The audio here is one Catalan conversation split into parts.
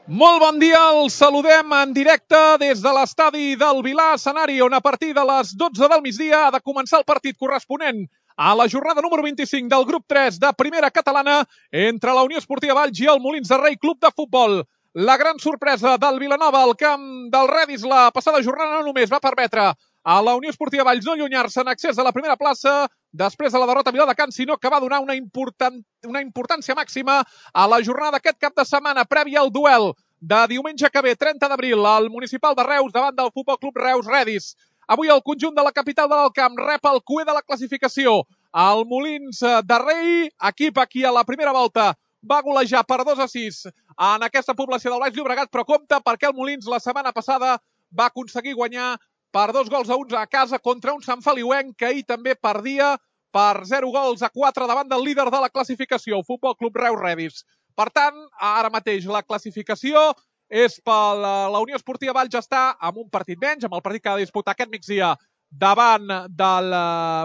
Molt bon dia, els saludem en directe des de l'estadi del Vilar, escenari on a partir de les 12 del migdia ha de començar el partit corresponent a la jornada número 25 del grup 3 de Primera Catalana entre la Unió Esportiva Valls i el Molins de Rei Club de Futbol. La gran sorpresa del Vilanova al camp del Redis la passada jornada no només va permetre a la Unió Esportiva Valls no allunyar-se en accés a la primera plaça després de la derrota a Viladecans, sinó que va donar una importància màxima a la jornada d'aquest cap de setmana prèvia al duel de diumenge que ve, 30 d'abril, al Municipal de Reus davant del Futbol Club Reus Redis. Avui el conjunt de la capital de l'Alcamp rep el cuer de la classificació. El Molins de Rei, equip aquí a la primera volta, va golejar per 2-6 en aquesta població del Baix Llobregat, però compte perquè el Molins la setmana passada va aconseguir guanyar per 2-1 a casa contra un Sant Feliuenc que ahir també perdia per 0-4 davant del líder de la classificació, el Futbol Club Reus Redis. Per tant, ara mateix la classificació és per la Unió Esportiva Valls està amb un partit menys, amb el partit que ha de disputar aquest migdia davant del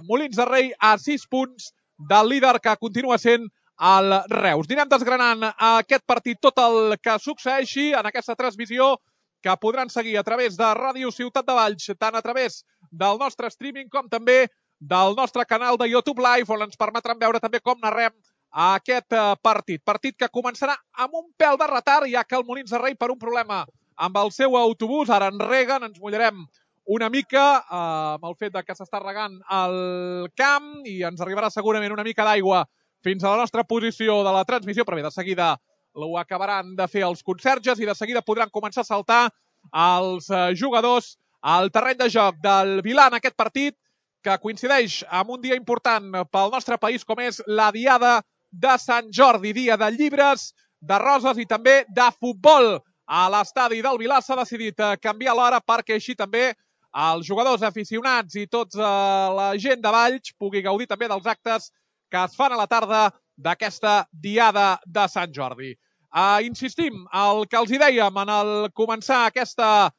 Molins de Rei a 6 punts del líder que continua sent el Reus. Anirem desgranant aquest partit tot el que succeeixi en aquesta transmissió que podran seguir a través de Ràdio Ciutat de Valls, tant a través del nostre streaming com també del nostre canal de YouTube Live, on ens permetran veure també com narrem aquest partit. Partit que començarà amb un pèl de retard, ja que el Molins de Rei, per un problema amb el seu autobús, ara en reguen, ens mullarem una mica amb el fet que s'està regant el camp i ens arribarà segurament una mica d'aigua fins a la nostra posició de la transmissió, però bé, de seguida ho acabaran de fer els conserges i de seguida podran començar a saltar els jugadors al terreny de joc del Vilar en aquest partit que coincideix amb un dia important pel nostre país com és la Diada de Sant Jordi, dia de llibres, de roses i també de futbol. A l'estadi del Vilar s'ha decidit canviar l'hora perquè així també els jugadors aficionats i tota la gent de Valls pugui gaudir també dels actes que es fan a la tarda d'aquesta Diada de Sant Jordi. Insistim, el que els hi dèiem en el començar aquesta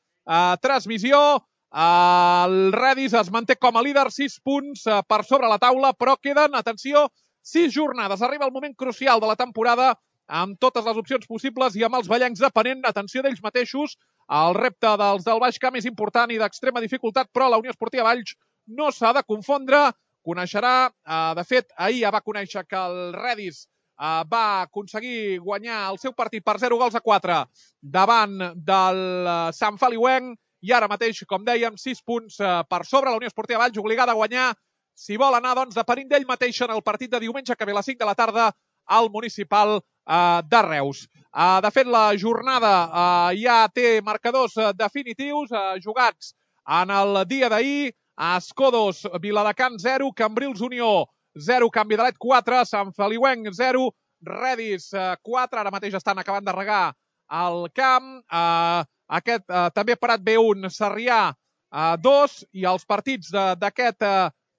transmissió, el Redis es manté com a líder, 6 punts per sobre la taula, però queden, atenció, 6 jornades. Arriba el moment crucial de la temporada amb totes les opcions possibles i amb els ballencs depenent, atenció d'ells mateixos. El repte dels del Baix Camp és important i d'extrema dificultat, però la Unió Esportiva Valls no s'ha de confondre. Coneixerà, de fet, ahir ja va conèixer que el Redis va aconseguir guanyar el seu partit per 0-4 davant del Sant Feliuenc i ara mateix, com dèiem, 6 punts per sobre. La Unió Esportiva Valls obligada a guanyar si vol anar, doncs, depenent d'ell mateix en el partit de diumenge que ve a les 5 de la tarda al Municipal de Reus. De fet, la jornada ja té marcadors definitius jugats en el dia d'ahir. Escodos, Viladecans 0, Cambrils Unió 0, Canvi de Let 4, Sant Feliuenc 0, Redis 4, ara mateix estan acabant de regar el camp. Aquest també parat B1, Sarrià 2, i els partits d'aquest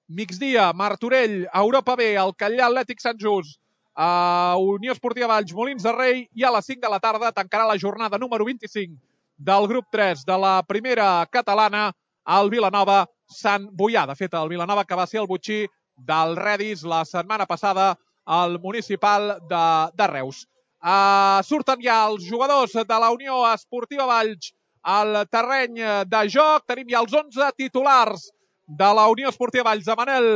migdia, Martorell, Europa B, el Catllà Atlètic Sant Just, Unió Esportiva Valls, Molins de Rei, i a les 5 de la tarda tancarà la jornada número 25 del grup 3 de la Primera Catalana, el Vilanova Sant Boià. De fet, el Vilanova que va ser el botxí del Redis la setmana passada al Municipal de Reus. Surten ja els jugadors de la Unió Esportiva Valls al terreny de joc. Tenim ja els 11 titulars de la Unió Esportiva Valls, de Manel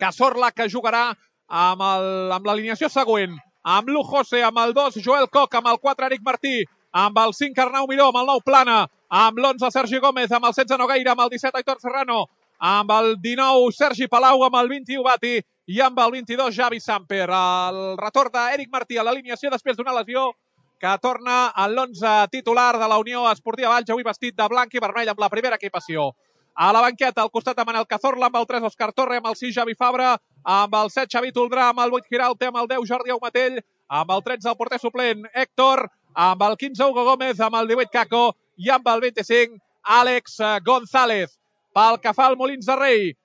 Cazorla, que jugarà amb l'alineació següent. Amb l'1 José, amb el 2 Joel Coc, amb el 4 Eric Martí, amb el 5 Arnau Miró, amb el 9 Plana, amb l'11 Sergi Gómez, amb el 16 Nogueira, amb el 17 Aitor Serrano, amb el 19 Sergi Palau, amb el 21 Bati i amb el 22 Javi Samper. El retorn d'Eric Martí a l'alineació després d'una lesió que torna a l'11 titular de la Unió Esportiva Valls, avui vestit de blanc i vermell amb la primera equipació. A la banqueta, al costat de Manel Cazorla, amb el 3 Òscar Torre, amb el 6 Javi Fabra, amb el 7 Xavi Toldrà, amb el 8 Giralte, amb el 10 Jordi Aumatell, amb el 13 el porter suplent Héctor, amb el 15 Hugo Gómez, amb el 18 Caco i amb el 25 Àlex González. Pel que fa al Molins de Rei,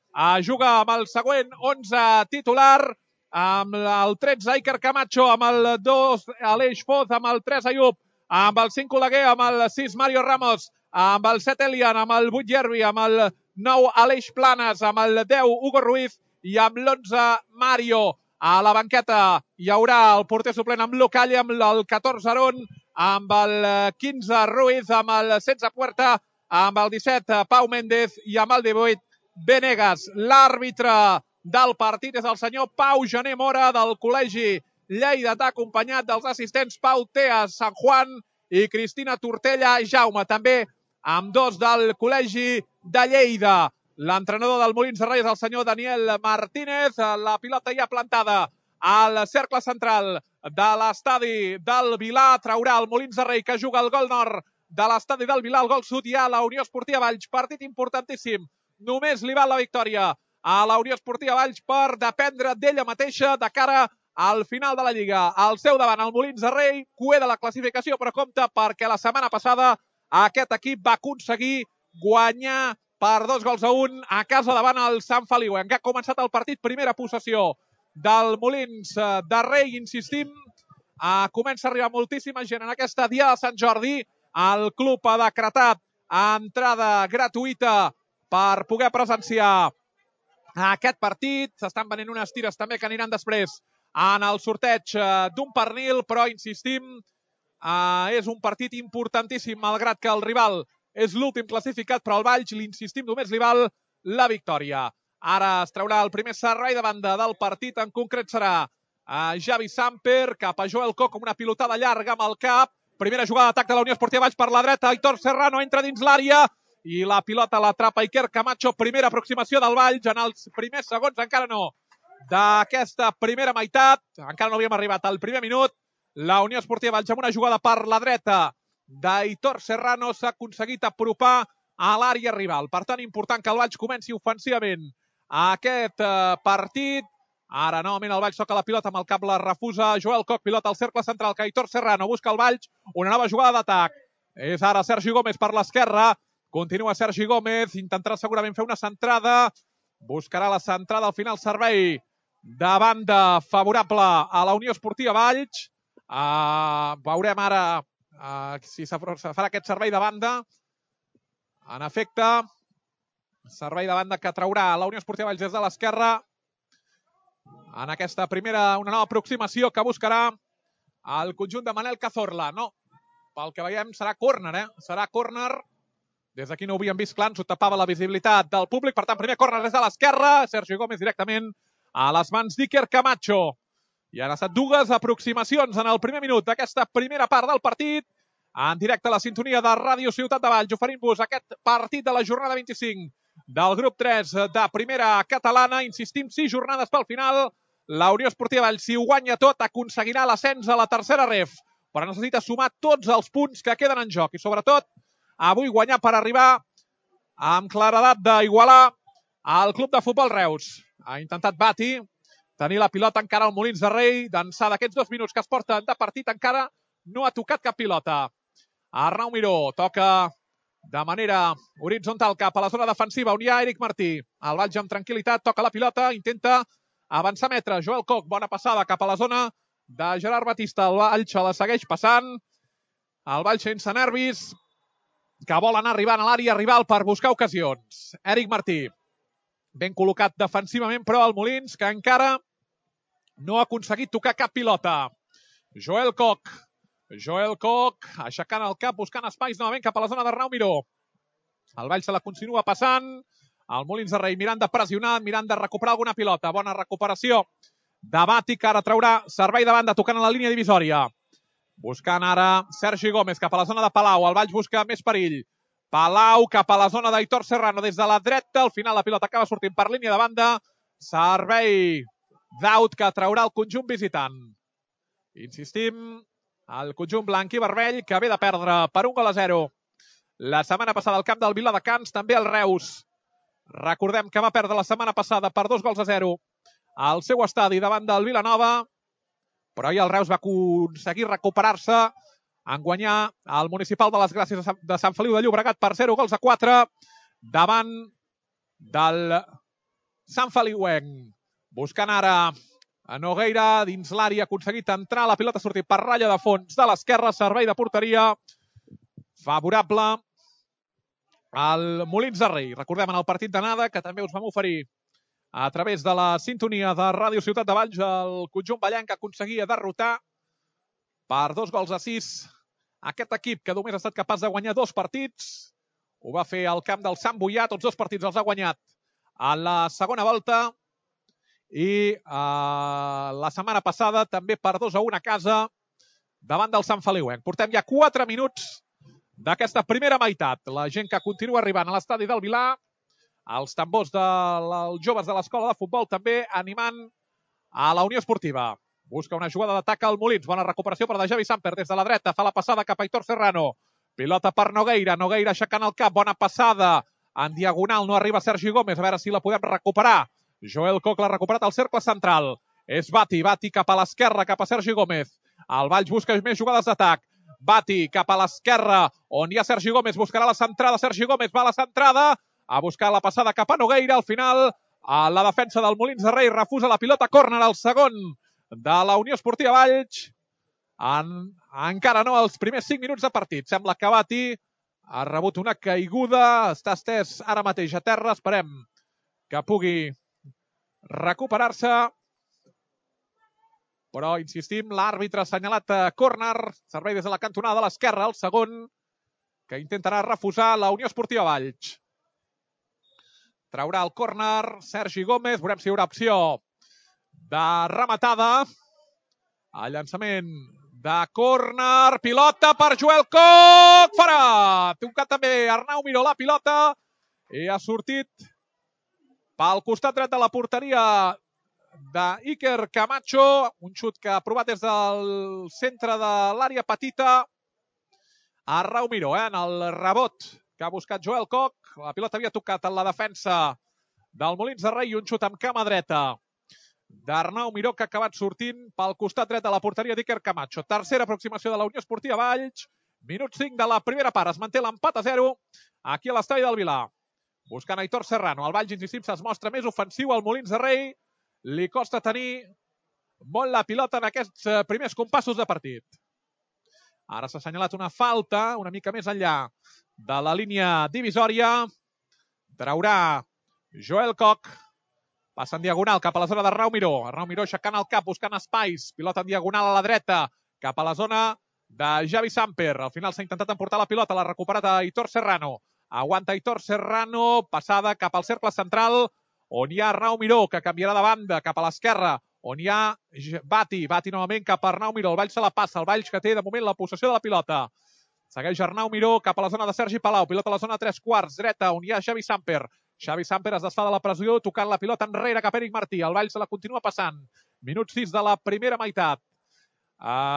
juga amb el següent 11 titular, amb el 13 Iker Camacho, amb el 2 Aleix Foz, amb el 3 Ayub, amb el 5 Oleguer, amb el 6 Mario Ramos, amb el 7 Elian, amb el 8 Yerbi, amb el 9 Aleix Planes, amb el 10 Hugo Ruiz i amb l'11 Mario. A la banqueta hi haurà el porter suplent amb Lucalle, amb el 14 Aron, amb el 15 Ruiz, amb el 16 Puerta, amb el 17 Pau Méndez i amb el 18 Venegas. L'àrbitre del partit és el senyor Pau Gené Mora del Col·legi Lleidatà, acompanyat dels assistents Pau Teas San Juan i Cristina Tortella Jaume, també amb dos del Col·legi de Lleida. L'entrenador del Molins de Rei és el senyor Daniel Martínez. La pilota ja plantada al cercle central de l'estadi del Vilà. Traurà el Molins de Rei, que juga el gol nord de l'estadi del Vilà, el gol sud, i a la Unió Esportiva Valls. Partit importantíssim. Només li val la victòria a la Unió Esportiva Valls per dependre d'ella mateixa de cara al final de la Lliga. Al seu davant, el Molins de Rei, cuer de la classificació, però compte perquè la setmana passada aquest equip va aconseguir guanyar per 2-1 a casa davant el Sant Feliu. En què ha començat el partit, primera possessió del Molins de Rei, insistim. Comença a arribar moltíssima gent en aquesta dia de Sant Jordi. El club ha decretat entrada gratuïta per poder presenciar aquest partit. S'estan venent unes tires també que aniran després en el sorteig d'un pernil, però insistim, és un partit importantíssim, malgrat que el rival és l'últim classificat, però al Valls, l'insistim, només li val la victòria. Ara es traurà el primer servei de banda del partit, en concret serà Javi Samper, cap a Joel Koch, amb una pilotada llarga amb el cap. Primera jugada d'atac de la Unió Esportiva Valls per la dreta, Aitor Serrano entra dins l'àrea i la pilota l'atrapa Iker Camacho. Primera aproximació del Valls en els primers segons, encara no, d'aquesta primera meitat. Encara no havíem arribat al primer minut. La Unió Esportiva Valls amb una jugada per la dreta d'Aitor Serrano s'ha aconseguit apropar a l'àrea rival. Per tant, important que el Valls comenci ofensivament aquest partit. Ara, novament, el Valls toca la pilota amb el cap, la refusa Joel Koch, pilota al cercle central, que Aitor Serrano busca el Valls, una nova jugada d'atac. És ara Sergi Gómez per l'esquerra, continua Sergi Gómez, intentarà segurament fer una centrada, buscarà la centrada, al final servei de banda favorable a la Unió Esportiva Valls. Veurem ara si se farà aquest servei de banda. En efecte, servei de banda que traurà la Unió Esportiva Valls des de l'esquerra. En aquesta primera, una nova aproximació que buscarà el conjunt de Manel Cazorla. No, pel que veiem serà córner, serà córner. Des d'aquí no ho havíem vist clar, ens ho tapava la visibilitat del públic. Per tant, primer córner des de l'esquerra. Sergi Gómez directament a les mans d'Iker Camacho. I han estat dues aproximacions en el primer minut d'aquesta primera part del partit. En directe a la sintonia de Ràdio Ciutat de Valls, oferint-vos aquest partit de la jornada 25 del grup 3 de primera catalana. Insistim, 6 jornades pel final. La Unió Esportiva Valls, si ho guanya tot, aconseguirà l'ascens a la tercera ref, però necessita sumar tots els punts que queden en joc i, sobretot, avui guanyar per arribar amb claredat d'igualar al Club de Futbol Reus. Ha intentat Bati tenir la pilota encara al Molins de Rei, d'ençà d'aquests 2 minuts que es porten de partit, encara no ha tocat cap pilota. Arnau Miró toca de manera horitzontal cap a la zona defensiva, on hi ha Eric Martí. El Valls amb tranquil·litat toca la pilota, intenta avançar metre. Joel Koch, bona passada cap a la zona de Gerard Batista. El Valls la segueix passant. El Valls sense nervis, que vol anar arribant a l'àrea rival per buscar ocasions. Eric Martí, ben col·locat defensivament, però el Molins, que encara no ha aconseguit tocar cap pilota. Joel Koch, aixecant el cap, buscant espais novament cap a la zona d'Arnau Miró. El Valls se la continua passant. El Molins de Rei mirant de pressionar, mirant de recuperar alguna pilota. Bona recuperació de Bati, que ara traurà servei de banda, tocant a la línia divisòria. Buscant ara Sergi Gómez cap a la zona de Palau. El Valls busca més perill. Palau cap a la zona d'Aitor Serrano des de la dreta. Al final la pilota acaba sortint per línia de banda. Servei d'out que traurà el conjunt visitant. Insistim, el conjunt blanc i vermell, que ve de perdre per 1-0 la setmana passada al camp del Viladecans, també el Reus. Recordem que va perdre la setmana passada per 2-0 al seu estadi davant del Vilanova, però ahir el Reus va aconseguir recuperar-se en guanyar el Municipal de les Gràcies de Sant Feliu de Llobregat per 0-4 davant del Sant Feliuenc. Buscant ara a Nogueira dins l'àrea, ha aconseguit entrar, la pilota ha sortit per ratlla de fons de l'esquerra, servei de porteria favorable al Molins de Rei. Recordem en el partit d'anada, que també us vam oferir a través de la sintonia de Ràdio Ciutat de Valls, el conjunt ballenc aconseguia derrotar per 2-6 Aquest equip que només ha estat capaç de guanyar 2 partits, ho va fer al camp del Sant Boià, tots 2 partits els ha guanyat a la segona volta i la setmana passada també per 2-1 a casa davant del Sant Feliuenc. Portem ja 4 minuts d'aquesta primera meitat. La gent que continua arribant a l'estadi del Vilar, els tambors dels joves de l'escola de futbol també animant a la Unió Esportiva. Busca una jugada d'atac al Molins. Bona recuperació per de Javi Samper des de la dreta. Fa la passada cap a Aitor Serrano. Pilota per Nogueira. Nogueira aixecant el cap. Bona passada. En diagonal no arriba Sergi Gómez. A veure si la podem recuperar. Joel Koch l'ha recuperat al cercle central. És Bati. Bati cap a l'esquerra, cap a Sergi Gómez. El Valls busca més jugades d'atac. Bati cap a l'esquerra, on hi ha Sergi Gómez. Buscarà la centrada. Sergi Gómez va a la centrada. A buscar la passada cap a Nogueira. Al final, la defensa del Molins de Rei refusa la pilota. Córner al segon de la Unió Esportiva Valls. Encara no els primers 5 minuts de partit. Sembla que Bati ha rebut una caiguda. Està estès ara mateix a terra. Esperem que pugui recuperar-se. Però, insistim, l'àrbitre ha assenyalat córner. Servei des de la cantonada de l'esquerra. El segon que intentarà refusar la Unió Esportiva Valls. Traurà el córner Sergi Gómez. Veurem si hi haurà opció de rematada. El llançament de córner. Pilota per Joel Koch. Fora! Tocat també Arnau Miró la pilota. I ha sortit pel costat dret de la porteria d'Iker Camacho. Un xut que ha provat des del centre de l'àrea petita. Arnau Miró, en el rebot que ha buscat Joel Koch. La pilota havia tocat en la defensa del Molins de Rei i un xut amb cama dreta d'Arnau Miró que ha acabat sortint pel costat dret de la porteria d'Iker Camacho. Tercera aproximació de la Unió Esportiva Valls. Minut 5 de la primera part. Es manté l'empat a 0 aquí a l'estadi del Vilar. Buscant Aitor Serrano. El Valls, insistim, es mostra més ofensiu al Molins de Rei. Li costa tenir molt la pilota en aquests primers compassos de partit. Ara s'ha assenyalat una falta una mica més enllà de la línia divisòria. Traurà Joel Koch. Passa en diagonal cap a la zona d'Arnau Miró. Arnau Miró aixecant el cap, buscant espais. Pilota en diagonal a la dreta, cap a la zona de Javi Samper. Al final s'ha intentat emportar la pilota, l'ha recuperat a Aitor Serrano. Aguanta Aitor Serrano, passada cap al cercle central, on hi ha Arnau Miró, que canviarà de banda cap a l'esquerra, on hi ha Bati. Bati novament cap a Arnau Miró. El Valls se la passa, el Valls que té de moment la possessió de la pilota. Segueix Arnau Miró cap a la zona de Sergi Palau. Pilota a la zona 3/4, dreta, on hi ha Xavi Samper. Xavi Samper es desfà de la pressió, tocant la pilota enrere cap a Eric Martí. El Valls se la continua passant. Minut 6 de la primera meitat.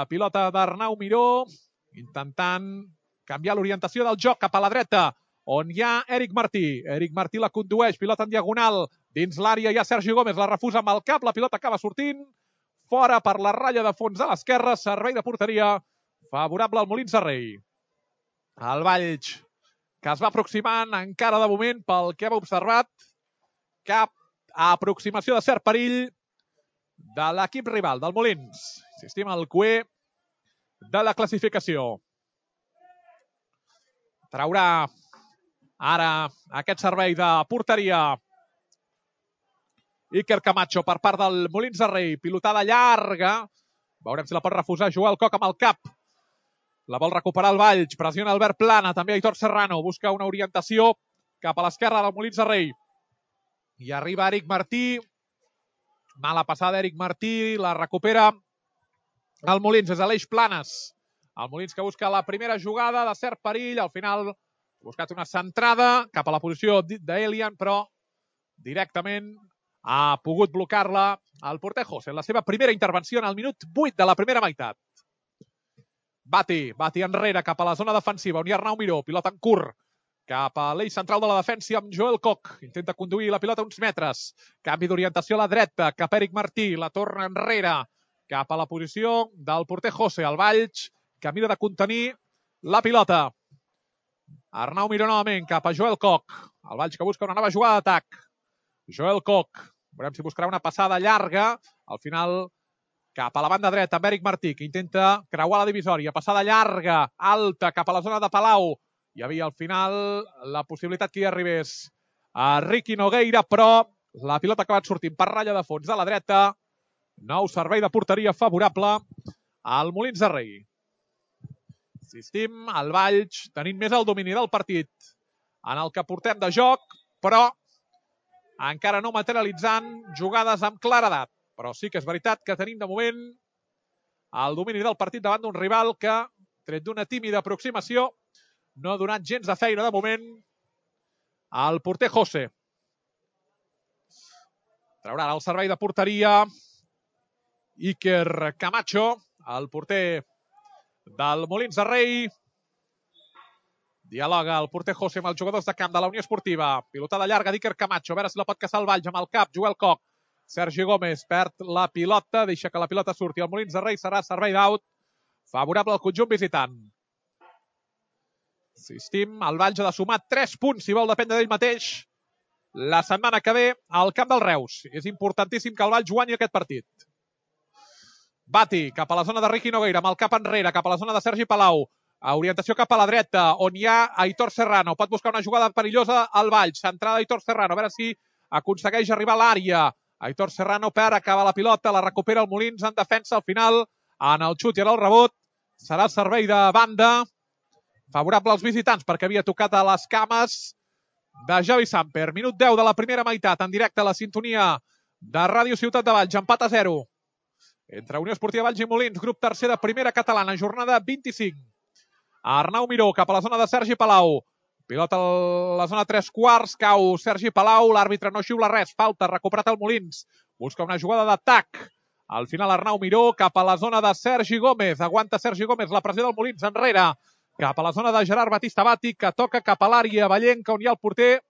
Pilota d'Arnau Miró, intentant canviar l'orientació del joc cap a la dreta, on hi ha Eric Martí. Eric Martí la condueix, pilota en diagonal. Dins l'àrea hi ha Sergi Gómez, la refusa amb el cap, la pilota acaba sortint. Fora per la ratlla de fons a l'esquerra, servei de porteria favorable al Molins de Rei. El Valls, que es va aproximant encara de moment pel que hem observat, cap aproximació de cert perill de l'equip rival, del Molins. Insistim, el cué de la classificació. Traurà ara aquest servei de porteria Iker Camacho per part del Molins de Rei. Pilotada llarga. Veurem si la pot refusar Joel Koch amb el cap. La vol recuperar el Valls. Pressiona Albert Plana. També Aitor Serrano. Busca una orientació cap a l'esquerra del Molins de Rei. I arriba Eric Martí. Mala passada Eric Martí. La recupera el Molins. És Aleix Planes. El Molins que busca la primera jugada de cert perill. Al final ha buscat una centrada cap a la posició d'Elian, però directament ha pogut blocar-la el porter José en la seva primera intervenció en el minut 8 de la primera meitat. Bati enrere cap a la zona defensiva on hi ha Arnau Miró, pilota en curt cap a l'eix central de la defensa amb Joel Koch. Intenta conduir la pilota uns metres. Canvi d'orientació a la dreta cap a Eric Martí. La torna enrere cap a la posició del porter José. El Valls que mira de contenir la pilota. Arnau Miró novament cap a Joel Koch. El Valls que busca una nova jugada d'atac. Joel Koch. Veurem si buscarà una passada llarga. Al final cap a la banda dreta amb Eric Martí, que intenta creuar la divisòria. Passada llarga, alta, cap a la zona de Palau. Hi havia al final la possibilitat que hi arribés a Ricky Nogueira, però la pilota ha acabat sortint per ratlla de fons de la dreta. Nou servei de porteria favorable al Molins de Rei. Insistim, el Valls tenint més el domini del partit en el que portem de joc, però encara no materialitzant jugades amb claredat. Però sí que és veritat que tenim de moment el domini del partit davant d'un rival que, tret d'una tímida aproximació, no ha donat gens de feina de moment al porter José. Traurà el servei de porteria Iker Camacho, el porter del Molins de Rei. Dialoga el porter José amb els jugadors de camp de la Unió Esportiva. Pilotada llarga d'Iker Camacho, a veure si la pot caçar el Valls amb el cap. Joel Koch. Sergi Gómez perd la pilota, deixa que la pilota surti. El Molins de Rei serà servei d'out favorable al conjunt visitant. Insistim, el Valls ha de sumar 3 punts si vol dependre d'ell mateix la setmana que ve al camp del Reus. És importantíssim que el Valls guanyi aquest partit. Bati cap a la zona de Riqui Nogueira, amb el cap enrere, cap a la zona de Sergi Palau. Orientació cap a la dreta, on hi ha Aitor Serrano. Pot buscar una jugada perillosa al Valls. Centrada Aitor Serrano, a veure si aconsegueix arribar a l'àrea. Aitor Serrano perd, acaba la pilota, la recupera el Molins en defensa. Al final, en el xut i en el rebot, serà el servei de banda favorable als visitants, perquè havia tocat a les cames de Javi Samper. Minut 10 de la primera meitat, en directe a la sintonia de Ràdio Ciutat de Valls. Empat a 0 entre Unió Esportiva Valls i Molins, grup tercer de primera catalana, jornada 25. Arnau Miró cap a la zona de Sergi Palau. Pilota a la zona 3/4, cau Sergi Palau, l'àrbitre no xiula res, falta, recuperat el Molins. Busca una jugada d'atac. Al final Arnau Miró cap a la zona de Sergi Gómez. Aguanta Sergi Gómez, la pressió del Molins enrere. Cap a la zona de Gerard Batista Bati, que toca cap a l'àrea vallenca on hi ha el porter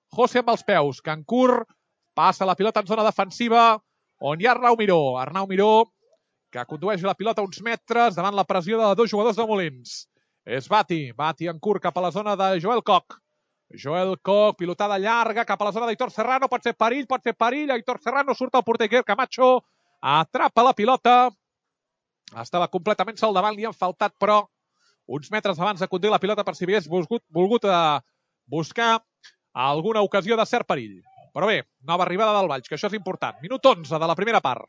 José amb els peus. Cancur passa la pilota en zona defensiva on hi ha Arnau Miró. Arnau Miró que condueix la pilota uns metres davant la pressió de 2 jugadors de Molins. És Bati en curt cap a la zona de Joel Koch. Joel Koch, pilotada llarga cap a la zona d'Aitor Serrano, pot ser perill. Aitor Serrano, surt el porter Iker Camacho, atrapa la pilota. Estava completament sol davant, li han faltat, però uns metres abans de conduir la pilota per si hagués volgut buscar alguna ocasió de cert perill. Però bé, nova arribada del Valls, que això és important. Minut 11 de la primera part.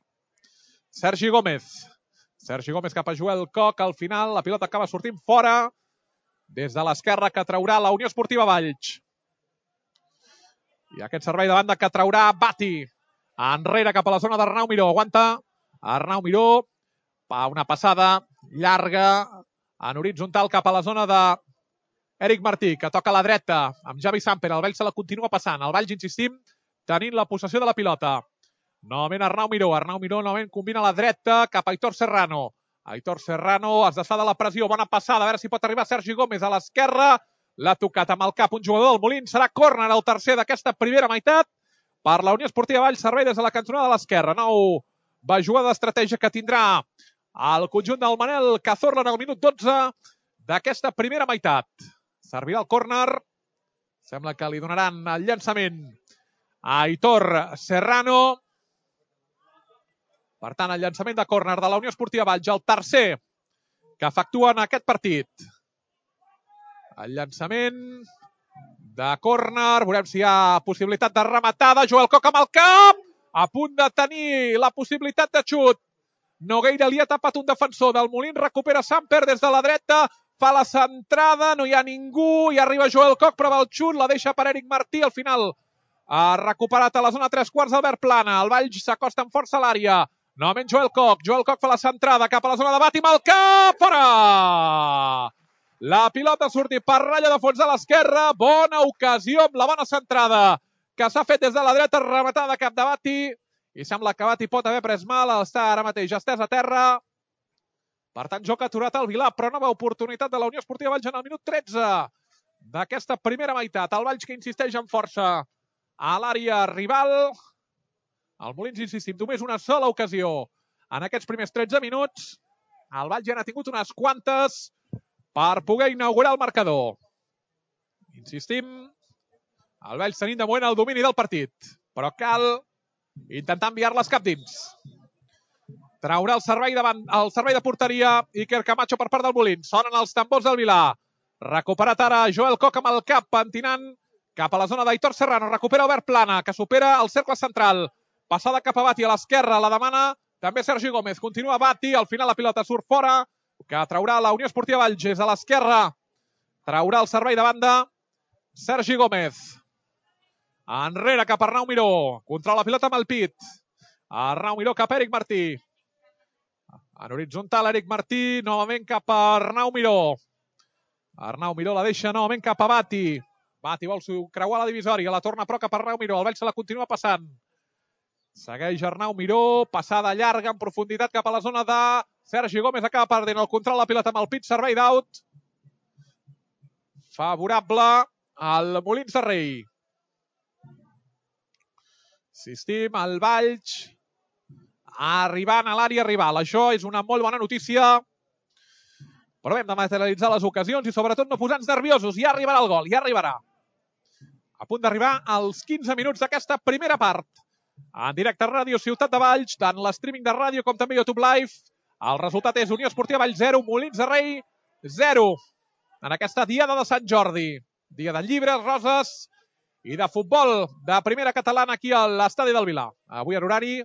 Sergi Gómez cap a Joel Koch, al final la pilota acaba sortint fora des de l'esquerra que traurà la Unió Esportiva Valls. I aquest servei de banda que traurà Bati enrere cap a la zona d'Arnau Miró. Aguanta Arnau Miró, una passada llarga en horitzontal cap a la zona d'Eric Martí, que toca a la dreta amb Javi Samper. El Valls se la continua passant. El Valls, insistim, tenint la possessió de la pilota. Novament Arnau Miró novament combina a la dreta cap a Aitor Serrano. Aitor Serrano es desfà de la pressió, bona passada, a veure si pot arribar Sergi Gómez a l'esquerra. L'ha tocat amb el cap un jugador del Molins, serà córner el tercer d'aquesta primera meitat per la Unió Esportiva Valls, servei des de la cantonada de l'esquerra. Nova jugada d'estratègia que tindrà el conjunt del Manel Cazorla en el minut 12 d'aquesta primera meitat. Servirà el córner, sembla que li donaran el llançament a Aitor Serrano. Per tant, el llançament de córner de la Unió Esportiva Valls, el tercer que efectua en aquest partit. El llançament de córner, veurem si hi ha possibilitat de rematada. Joel Koch amb el cap, a punt de tenir la possibilitat de xut. Nogueira li ha tapat un defensor del Molins, recupera Samper des de la dreta, fa la centrada, no hi ha ningú, i arriba Joel Koch, prova el xut, la deixa per Eric Martí, al final ha recuperat a la zona 3/4 Albert Plana. El Valls s'acosta amb força a l'àrea. Novament Joel Koch fa la centrada cap a la zona de Bati amb el cap, fora! La pilota ha sortit per ratlla de fons a l'esquerra, bona ocasió amb la bona centrada que s'ha fet des de la dreta, rematada cap de Bati, i sembla que Bati pot haver pres mal, està ara mateix estès a terra. Per tant, joc aturat al Vilà, però nova oportunitat de la Unió Esportiva Valls en el minut 13 d'aquesta primera meitat. El Valls que insisteix amb força a l'àrea rival. El Molins, insistim, només una sola ocasió en aquests primers 13 minuts. El Valls ja n'ha tingut unes quantes per poder inaugurar el marcador. Insistim, el Valls tenint de moment el domini del partit, però cal intentar enviar-les cap dins. Traurà el servei de porteria Iker Camacho per part del Molins. Sonen els tambors del Vilà. Recuperat ara Joel Koch amb el cap, pentinant cap a la zona d'Aitor Serrano. Recupera Albert Plana, que supera el cercle central. Passada cap a Bati a l'esquerra, la demana també Sergi Gómez. Continua Bati, al final la pilota surt fora que traurà la Unió Esportiva Valls des de l'esquerra. Traurà el servei de banda Sergi Gómez. Enrere cap a Arnau Miró. Controla la pilota amb el pit. Arnau Miró cap a Eric Martí. En horitzontal, Eric Martí, novament cap a Arnau Miró. Arnau Miró la deixa novament cap a Bati. Bati vol creuar la divisòria, la torna però cap a Arnau Miró. El Valls se la continua passant. Segueix Arnau Miró, passada llarga en profunditat cap a la zona de Sergi Gómez. Acaba perdent el control, la pilota amb el pit, servei d'out. Favorable al Molins de Rei. Insistim, el Valls arribant a l'àrea rival. Això és una molt bona notícia. Però hem de materialitzar les ocasions i sobretot no posar-nos nerviosos. Ja arribarà el gol, ja arribarà. A punt d'arribar als 15 minuts d'aquesta primera part. En directe a Ràdio Ciutat de Valls, tant l'streaming de ràdio com també YouTube Live. El resultat és Unió Esportiva Valls 0, Molins de Rei 0. En aquesta diada de Sant Jordi. Dia de llibres, roses i de futbol de primera catalana aquí a l'estadi del Vilar. Avui en horari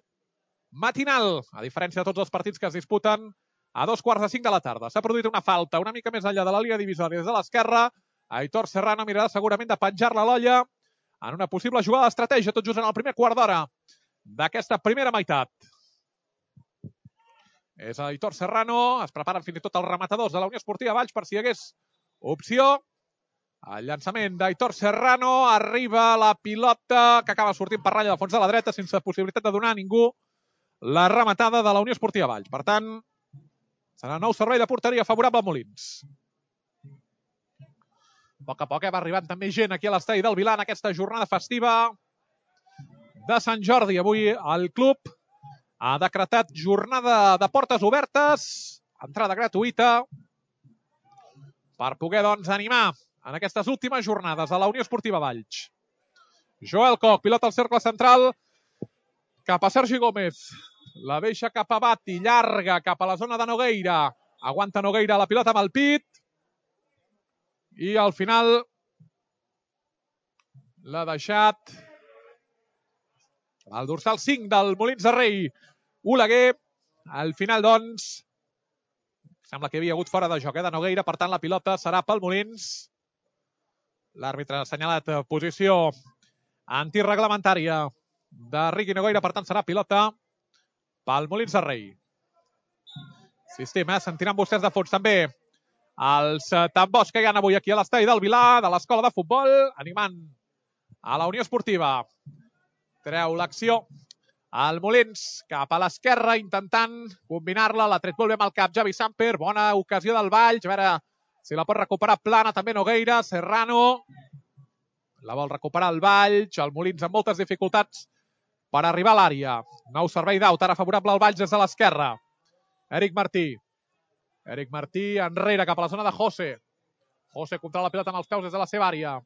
matinal, a diferència de tots els partits que es disputen a 2:45 de la tarda. S'ha produït una falta una mica més enllà de la línia divisòria des de l'esquerra. Aitor Serrano mirarà segurament de penjar-la a l'olla en una possible jugada d'estratègia tot just en el primer quart d'hora d'aquesta primera meitat. És Aitor Serrano, es preparen fins i tot els rematadors de la Unió Esportiva Valls per si hi hagués opció. El llançament d'Aitor Serrano, arriba la pilota que acaba sortint per ratlla de fons de la dreta sense possibilitat de donar a ningú la rematada de la Unió Esportiva Valls. Per tant, serà nou servei de porteria favorable a Molins. A poc va arribant també gent aquí a l'estadi del Vilar en aquesta jornada festiva de Sant Jordi. Avui el club ha decretat jornada de portes obertes, entrada gratuïta, per poder doncs animar en aquestes últimes jornades a la Unió Esportiva Valls. Joel Koch, pilota al cercle central, cap a Sergi Gómez. La deixa cap a Bati, llarga cap a la zona de Nogueira. Aguanta Nogueira la pilota amb el pit. I al final l'ha deixat el dorsal 5 del Molins de Rei, Oleguer. Al final, doncs, sembla que hi havia hagut fora de joc de Nogueira, per tant la pilota serà pel Molins. L'àrbitre ha assenyalat posició antirreglamentària de Riqui Nogueira, per tant serà pilota pel Molins de Rei. Insistim, sentiran vostès de fons també els tambors que hi ha avui aquí a l'estadi del Vilar, de l'escola de futbol, animant a la Unió Esportiva. Treu l'acció el Molins cap a l'esquerra, intentant combinar-la. L'ha tret molt bé amb el cap Javi Samper. Bona ocasió del Valls. A veure si la pot recuperar plana també Nogueira. Serrano la vol recuperar el Valls. El Molins amb moltes dificultats per arribar a l'àrea. Nou servei d'aut, ara favorable al Valls des de l'esquerra. Eric Martí. Eric Martí enrere cap a la zona de José. José controla la pilota amb els peus des de la seva àrea.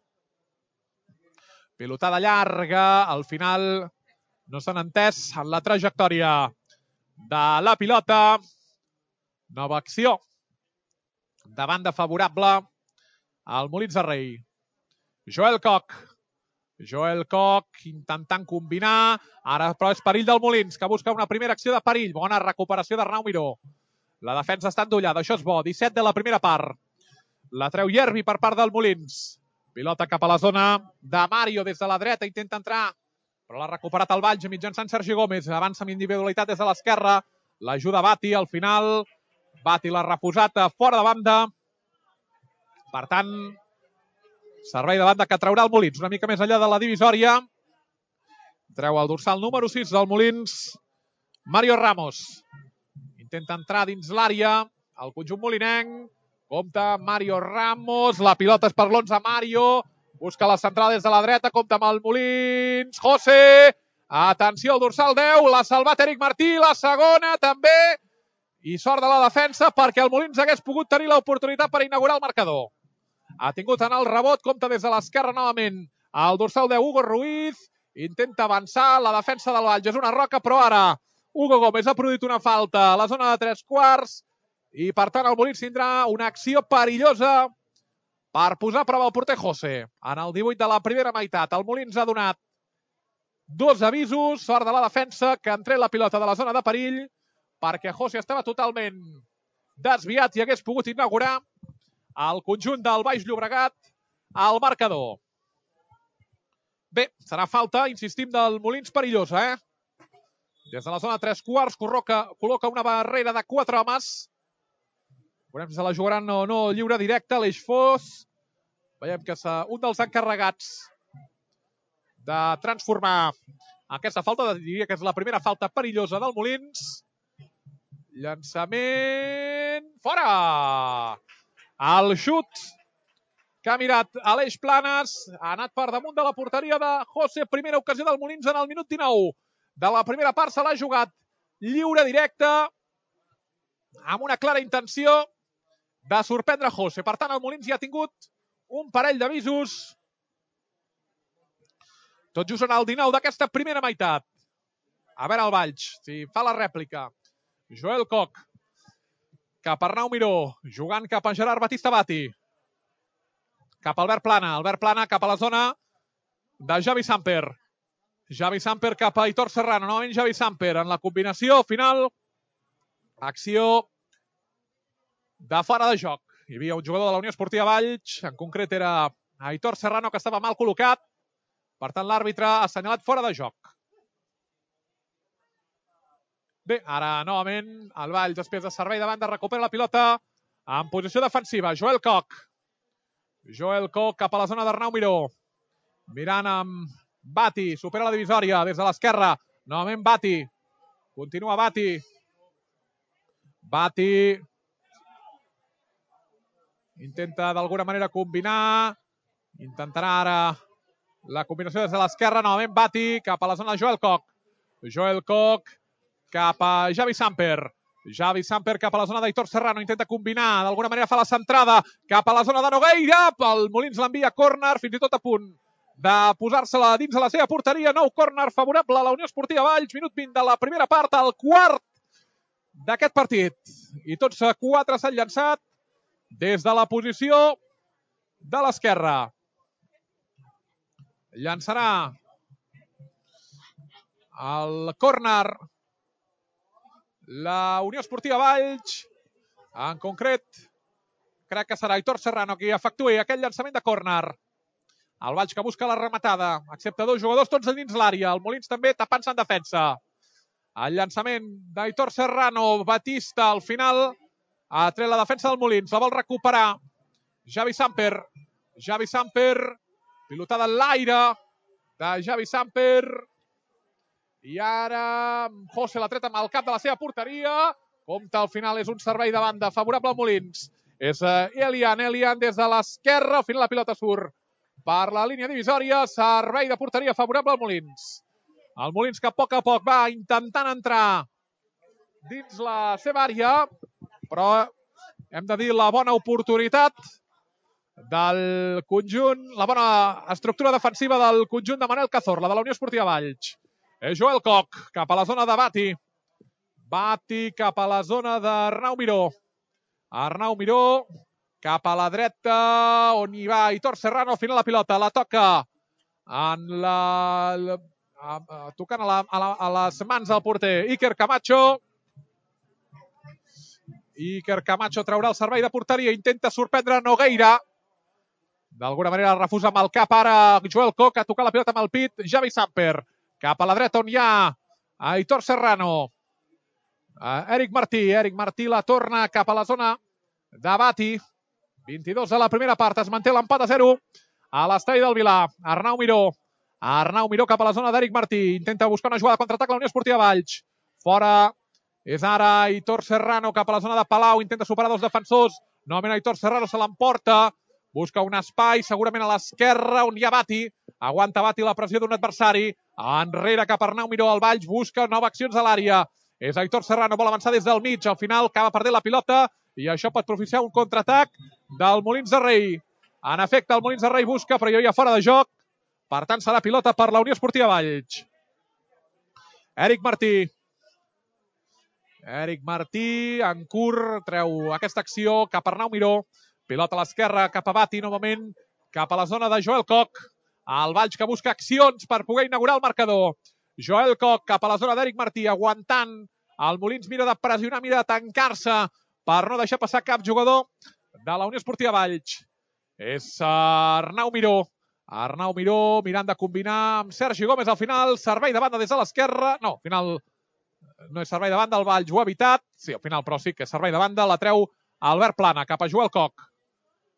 Pilotada llarga, al final no s'han entès en la trajectòria de la pilota. Nova acció de banda favorable al Molins de Rei. Joel Koch. Joel Koch intentant combinar. Ara però és perill del Molins, que busca una primera acció de perill. Bona recuperació d'Arnau Miró. La defensa està endollada, això és bo. 17 de la primera part. La treu Yerbi per part del Molins. Pilota cap a la zona de Mario des de la dreta. Intenta entrar, però l'ha recuperat el Valls mitjançant Sergi Gómez. Avança amb individualitat des de l'esquerra. L'ajuda Bati al final. Bati l'ha refusat fora de banda. Per tant, servei de banda que traurà el Molins. Una mica més enllà de la divisòria. Treu el dorsal número 6 del Molins. Mario Ramos. Intenta entrar dins l'àrea. El conjunt molinenc. Compta Mario Ramos. La pilota és per l'11 Mario. Busca la central des de la dreta. Compta amb el Molins. José. Atenció al dorsal 10. L'ha salvat Eric Martí. La segona també. I sort de la defensa perquè el Molins hagués pogut tenir l'oportunitat per inaugurar el marcador. Ha tingut en el rebot. Compta des de l'esquerra novament. El dorsal 10 Hugo Ruiz. Intenta avançar. La defensa del Valls és una roca, però ara Hugo Gómez ha produït una falta a la zona de 3/4 i per tant el Molins tindrà una acció perillosa per posar a prova el porter José. En el 18 de la primera meitat el Molins ha donat dos avisos. Sort de la defensa que han tret la pilota de la zona de perill perquè José estava totalment desviat i hagués pogut inaugurar el conjunt del Baix Llobregat al marcador. Bé, serà falta, insistim, del Molins perillosa, Des de la zona 3/4 col·loca una barrera de 4 homes. Veurem si se la jugaran o no lliure directe. Aleix Fos. Veiem que és un dels encarregats de transformar aquesta falta. Diria que és la primera falta perillosa del Molins. Llançament... Fora! El xut que ha mirat Aleix Planes. Ha anat per damunt de la porteria de José. Primera ocasió del Molins en el minut 19. De la primera part se l'ha jugat lliure directe amb una clara intenció de sorprendre José. Per tant, el Molins ja ha tingut un parell d'avisos. Tot just en el 19 d'aquesta primera meitat. A veure el Valls, si fa la rèplica. Joel Koch, cap a Arnau Miró, jugant cap a Gerard Batista Bati. Cap a Albert Plana cap a la zona de Javi Samper. Javi Samper cap a Aitor Serrano, novament Javi Samper en la combinació final. Acció de fora de joc. Hi havia un jugador de la Unió Esportiva Valls, en concret era Aitor Serrano, que estava mal col·locat. Per tant, l'àrbitre ha assenyalat fora de joc. Bé, ara novament el Valls, després de servei de banda, recupera la pilota en posició defensiva. Joel Koch. Joel Koch cap a la zona d'Arnau Miró. Mirant amb Bati, supera la divisòria des de l'esquerra. Novament Bati. Continua Bati. Bati intenta d'alguna manera combinar. Intentarà ara la combinació des de l'esquerra. Novament Bati cap a la zona de Joel Koch. Joel Koch cap a Javi Samper. Javi Samper cap a la zona d'Aitor Serrano. Intenta combinar. D'alguna manera fa la centrada cap a la zona de Nogueira. El Molins l'envia a córner, fins i tot a punt de posar-se-la dins de la seva porteria. Nou córner favorable a la Unió Esportiva Valls. Minut 20 de la primera part, el quart d'aquest partit. I tots 4 s'han llançat des de la posició de l'esquerra. Llançarà el córner la Unió Esportiva Valls. En concret, crec que serà Aitor Serrano qui efectuï aquest llançament de córner. El Valls que busca la rematada, excepte 2 jugadors, tots dins l'àrea. El Molins també tapant-se en defensa. El llançament d'Aitor Serrano, Batista, al final ha tret la defensa del Molins. La vol recuperar Javi Samper. Javi Samper, pilotada en l'aire de Javi Samper. I ara José l'ha tret amb el cap de la seva porteria. Compte, al final és un servei de banda favorable al Molins. És Elian des de l'esquerra. Al final la pilota surt per la línia divisòria. Servei de porteria favorable al Molins. El Molins que a poc va intentant entrar dins la seva àrea, però hem de dir la bona oportunitat del conjunt, la bona estructura defensiva del conjunt de Manel Cazorla, de la Unió Esportiva Valls. Joel Koch cap a la zona de Bati. Bati cap a la zona d'Arnau Miró. Arnau Miró cap a la dreta, on hi va Aitor Serrano. Al final la pilota la toca tocant a les mans del porter Iker Camacho. Iker Camacho traurà el servei de porteria, intenta sorprendre Nogueira. D'alguna manera refusa amb el cap ara Joel Koch, a tocar la pilota amb el pit Javi Samper. Cap a la dreta on hi ha Aitor Serrano. Eric Martí la torna cap a la zona de Bati. 22 a la primera part, es manté l'empat a 0 a l'estadi del Vilar. Arnau Miró cap a la zona d'Eric Martí. Intenta buscar una jugada de contraatac a la Unió Esportiva Valls. Fora és ara Aitor Serrano cap a la zona de Palau. Intenta superar 2 defensors. Novament Aitor Serrano se l'emporta. Busca un espai, segurament a l'esquerra, on hi ha Bati. Aguanta Bati la pressió d'un adversari. Enrere cap a Arnau Miró. El Valls busca noves accions a l'àrea. És Aitor Serrano, vol avançar des del mig. Al final acaba perdent la pilota i això pot propiciar un contraatac del Molins de Rei. En efecte, el Molins de Rei busca, però hi ha fora de joc. Per tant, serà pilota per la Unió Esportiva Valls. Eric Martí, en curt, treu aquesta acció cap a Arnau Miró. Pilota a l'esquerra, cap a Bati, novament cap a la zona de Joel Koch. El Valls que busca accions per poder inaugurar el marcador. Joel Koch cap a la zona d'Eric Martí, aguantant. El Molins mira de pressionar, mira de tancar-se per no deixar passar cap jugador de la Unió Esportiva Valls. És Arnau Miró. Arnau Miró mirant de combinar amb Sergi Gómez al final. Servei de banda des de l'esquerra. No, al final no és servei de banda, el Valls ho ha evitat. Sí, al final, però sí que és servei de banda. La treu Albert Plana cap a Joel Koch.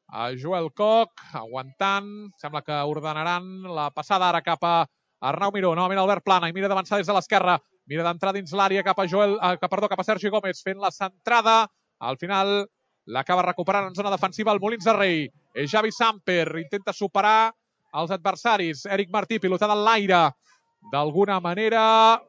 A Joel Koch, aguantant. Sembla que ordenaran la passada ara cap a Arnau Miró. Novament Albert Plana i mira d'avançar des de l'esquerra. Mira d'entrar dins l'àrea cap a Sergi Gómez fent la centrada. Al final l'acaba recuperant en zona defensiva el Molins de Rei. És Javi Samper, intenta superar els adversaris. Eric Martí, pilotada en l'aire. D'alguna manera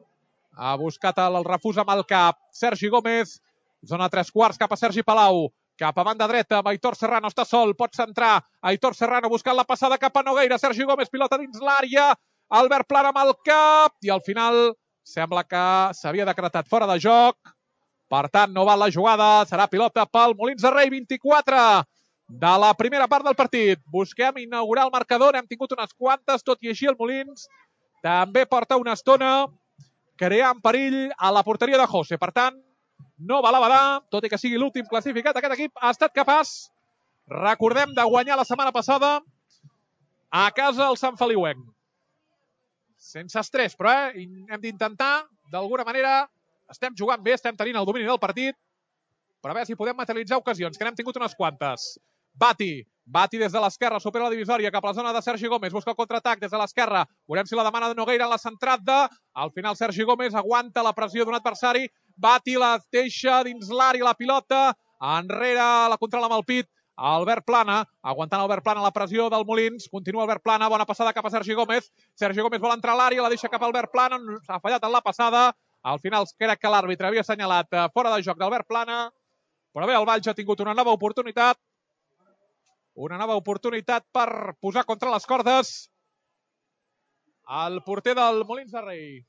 ha buscat el refús amb el cap. Sergi Gómez, zona 3/4 cap a Sergi Palau. Cap a banda dreta, amb Aitor Serrano, està sol, pot centrar. Aitor Serrano buscant la passada cap a Nogueira. Sergi Gómez, pilota dins l'àrea. Albert Plana amb el cap. I al final sembla que s'havia decretat fora de joc. Per tant, no val la jugada. Serà pilota pel Molins de Rei, 24 de la primera part del partit. Busquem inaugurar el marcador. N'hem tingut unes quantes, tot i així el Molins també porta una estona creant perill a la porteria de José. Per tant, no val a badar, tot i que sigui l'últim classificat. Aquest equip ha estat capaç, recordem, de guanyar la setmana passada a casa el Sant Feliuenc. Sense estrès, però hem d'intentar, d'alguna manera, estem jugant bé, estem tenint el domini del partit, però a veure si podem materialitzar ocasions, que n'hem tingut unes quantes. Bati des de l'esquerra, supera la divisòria cap a la zona de Sergi Gómez, busca el contraatac des de l'esquerra, veurem si la demana de Nogueira en la centrada. Al final Sergi Gómez aguanta la pressió d'un adversari, Bati la deixa dins l'àrea la pilota, enrere la controla amb el pit Albert Plana, aguantant Albert Plana la pressió del Molins, continua Albert Plana, bona passada cap a Sergi Gómez, Sergi Gómez vol entrar a l'àrea, la deixa cap a Albert Plana, s'ha fallat en la passada, al final crec que l'àrbitre havia assenyalat fora de joc d'Albert Plana, però bé, el Valls ha tingut una nova oportunitat per posar contra les cordes el porter del Molins de Rei.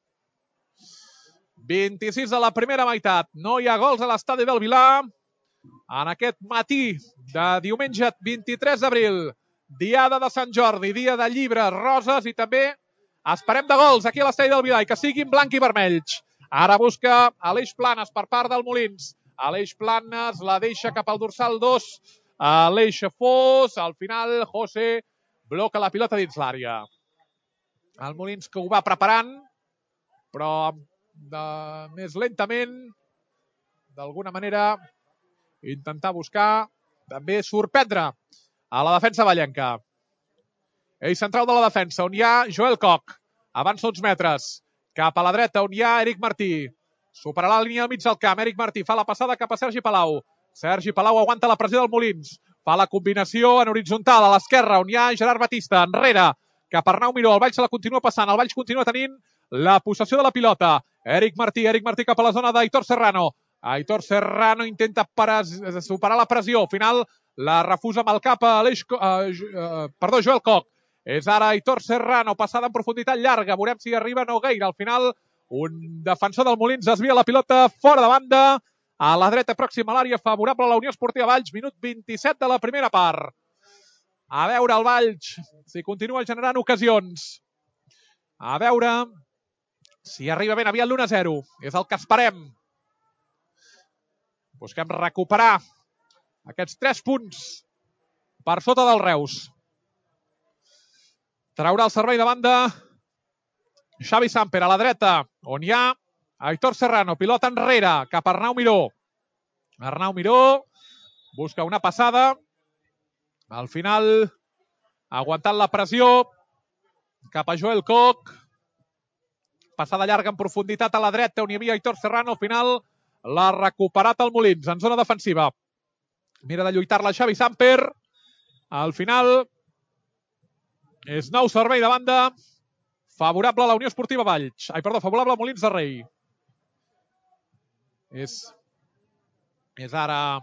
26 de la primera meitat. No hi ha gols a l'estadi del Vilar en aquest matí de diumenge 23 d'abril. Diada de Sant Jordi, dia de llibres, roses i també esperem de gols aquí a l'estadi del Vilar i que siguin blanc i vermells. Ara busca Aleix Planes per part del Molins. Aleix Planes la deixa cap al dorsal 2. Aleix Fos, al final José bloca la pilota dins l'àrea. El Molins que ho va preparant, però més lentament, d'alguna manera, intentar buscar, també sorprendre a la defensa vallenca. Eix central de la defensa, on hi ha Joel Koch. Avança uns metres. Cap a la dreta, on hi ha Eric Martí. Superarà la línia al mig del camp. Eric Martí fa la passada cap a Sergi Palau. Sergi Palau aguanta la pressió del Molins. Fa la combinació en horitzontal a l'esquerra, on hi ha Gerard Batista. Enrere, cap a Arnau Miró. El Valls se la continua passant. El Valls continua tenint la possessió de la pilota. Eric Martí cap a la zona d'Aitor Serrano. Aitor Serrano intenta superar la pressió. Al final la refusa amb el cap a Joel Koch. És ara Aitor Serrano, passada en profunditat llarga. Veurem si arriba Nogueira. Al final, un defensor del Molins desvia la pilota fora de banda. A la dreta pròxima a l'àrea favorable a la Unió Esportiva Valls. Minut 27 de la primera part. A veure el Valls si continua generant ocasions. A veure si arriba ben aviat l'1-0. És el que esperem. Busquem recuperar aquests 3 punts per sota del Reus. Traurà el servei de banda Xavi Samper a la dreta, on hi ha Aitor Serrano, pilota enrere, cap a Arnau Miró. Arnau Miró busca una passada. Al final, aguantant la pressió, cap a Joel Koch. Passada llarga en profunditat a la dreta, on hi havia Aitor Serrano. Al final, l'ha recuperat el Molins en zona defensiva. Mira de lluitar-la Xavi Samper. Al final, és nou servei de banda favorable a la Unió Esportiva Valls. Favorable al Molins de Rei. És ara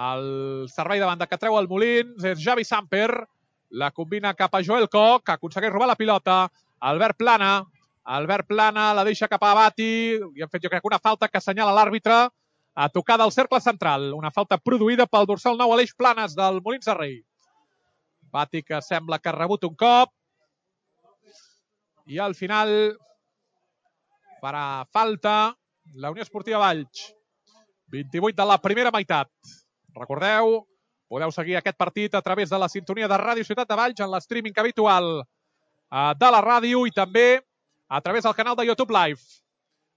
el servei de banda que treu el Molins. És Xavi Samper. La combina cap a Joel Koch, que aconsegueix robar la pilota. Albert Plana la deixa cap a Bati. I han fet, jo crec, una falta que assenyala l'àrbitre a tocar del cercle central. Una falta produïda pel dorsal 9 Aleix Planes del Molins de Rei. Bati que sembla que ha rebut un cop. I al final farà falta la Unió Esportiva Valls. 28 de la primera meitat. Recordeu, podeu seguir aquest partit a través de la sintonia de Ràdio Ciutat de Valls en l'streaming habitual de la ràdio i també a través del canal de YouTube Live.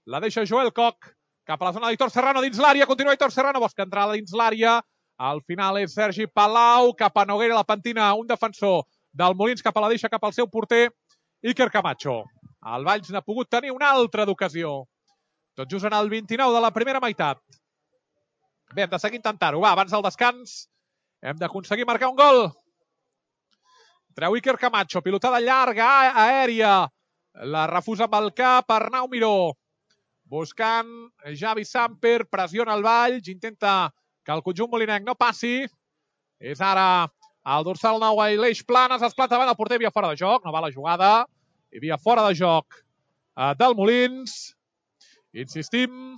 La deixa Joel Koch cap a la zona d'Aitor Serrano dins l'àrea. Continua Aitor Serrano, busca entrar dins l'àrea. Al final és Sergi Palau, cap a Noguera, la pentina, un defensor del Molins cap a la deixa, cap al seu porter, Iker Camacho. El Valls n'ha pogut tenir una altra d'ocasió. Tot just en el 29 de la primera meitat. Bé, hem de seguir intentant-ho. Va, abans del descans hem d'aconseguir marcar un gol. Treu Iker Camacho, pilotada llarga, aèria. La refusa amb el cap, Arnau Miró. Buscant Javi Samper, pressiona el Valls, intenta que el conjunt molinenc no passi. És ara el dorsal 9, Aleix Planes, es planta davant el porter, havia fora de joc, no va la jugada. Hi havia fora de joc del Molins. Insistim,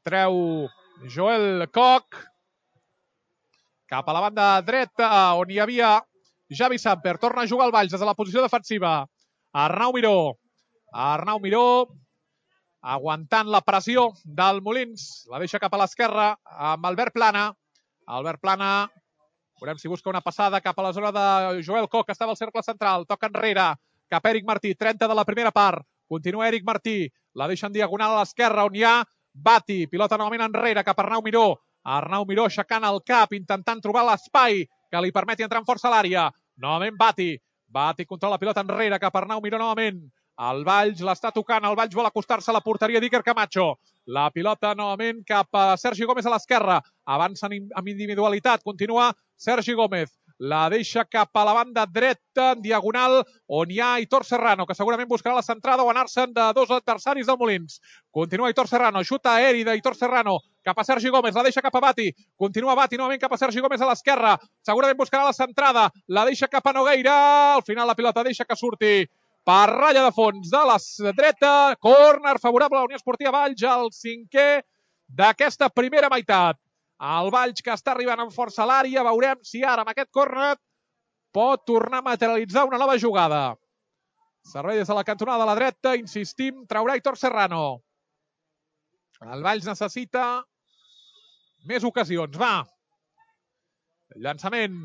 treu Joel Koch cap a la banda dreta on hi havia Javi Samper. Torna a jugar el Valls des de la posició defensiva. Arnau Miró. Arnau Miró aguantant la pressió del Molins. La deixa cap a l'esquerra amb Albert Plana. Albert Plana, veurem si busca una passada cap a la zona de Joel Koch, que estava al cercle central. Toca enrere cap a Eric Martí. 30 de la primera part. Continua Eric Martí. La deixa en diagonal a l'esquerra on hi ha Bati. Pilota novament enrere cap a Arnau Miró. Arnau Miró aixecant el cap, intentant trobar l'espai que li permeti entrar amb força a l'àrea. Novament Bati. Bati controla la pilota enrere cap a Arnau Miró novament. El Valls l'està tocant. El Valls vol acostar-se a la porteria d'Iker Camacho. La pilota novament cap a Sergi Gómez a l'esquerra. Avança amb individualitat. Continua Sergi Gómez. La deixa cap a la banda dreta, en diagonal, on hi ha Aitor Serrano, que segurament buscarà la centrada o anar-se'n de dos adversaris del Molins. Continua Aitor Serrano, xuta aeri d'Aitor Serrano, cap a Sergi Gómez, la deixa cap a Bati. Continua Bati novament cap a Sergi Gómez a l'esquerra. Segurament buscarà la centrada, la deixa cap a Nogueira. Al final la pilota deixa que surti per ratlla de fons de la dreta. Córner favorable a la Unió Esportiva Valls, el 5è d'aquesta primera meitat. El Valls que està arribant amb força a l'àrea. Veurem si ara amb aquest córner pot tornar a materialitzar una nova jugada. Servei des de la cantonada de la dreta. Insistim, traurà Aitor Serrano. El Valls necessita més ocasions. Va. Llançament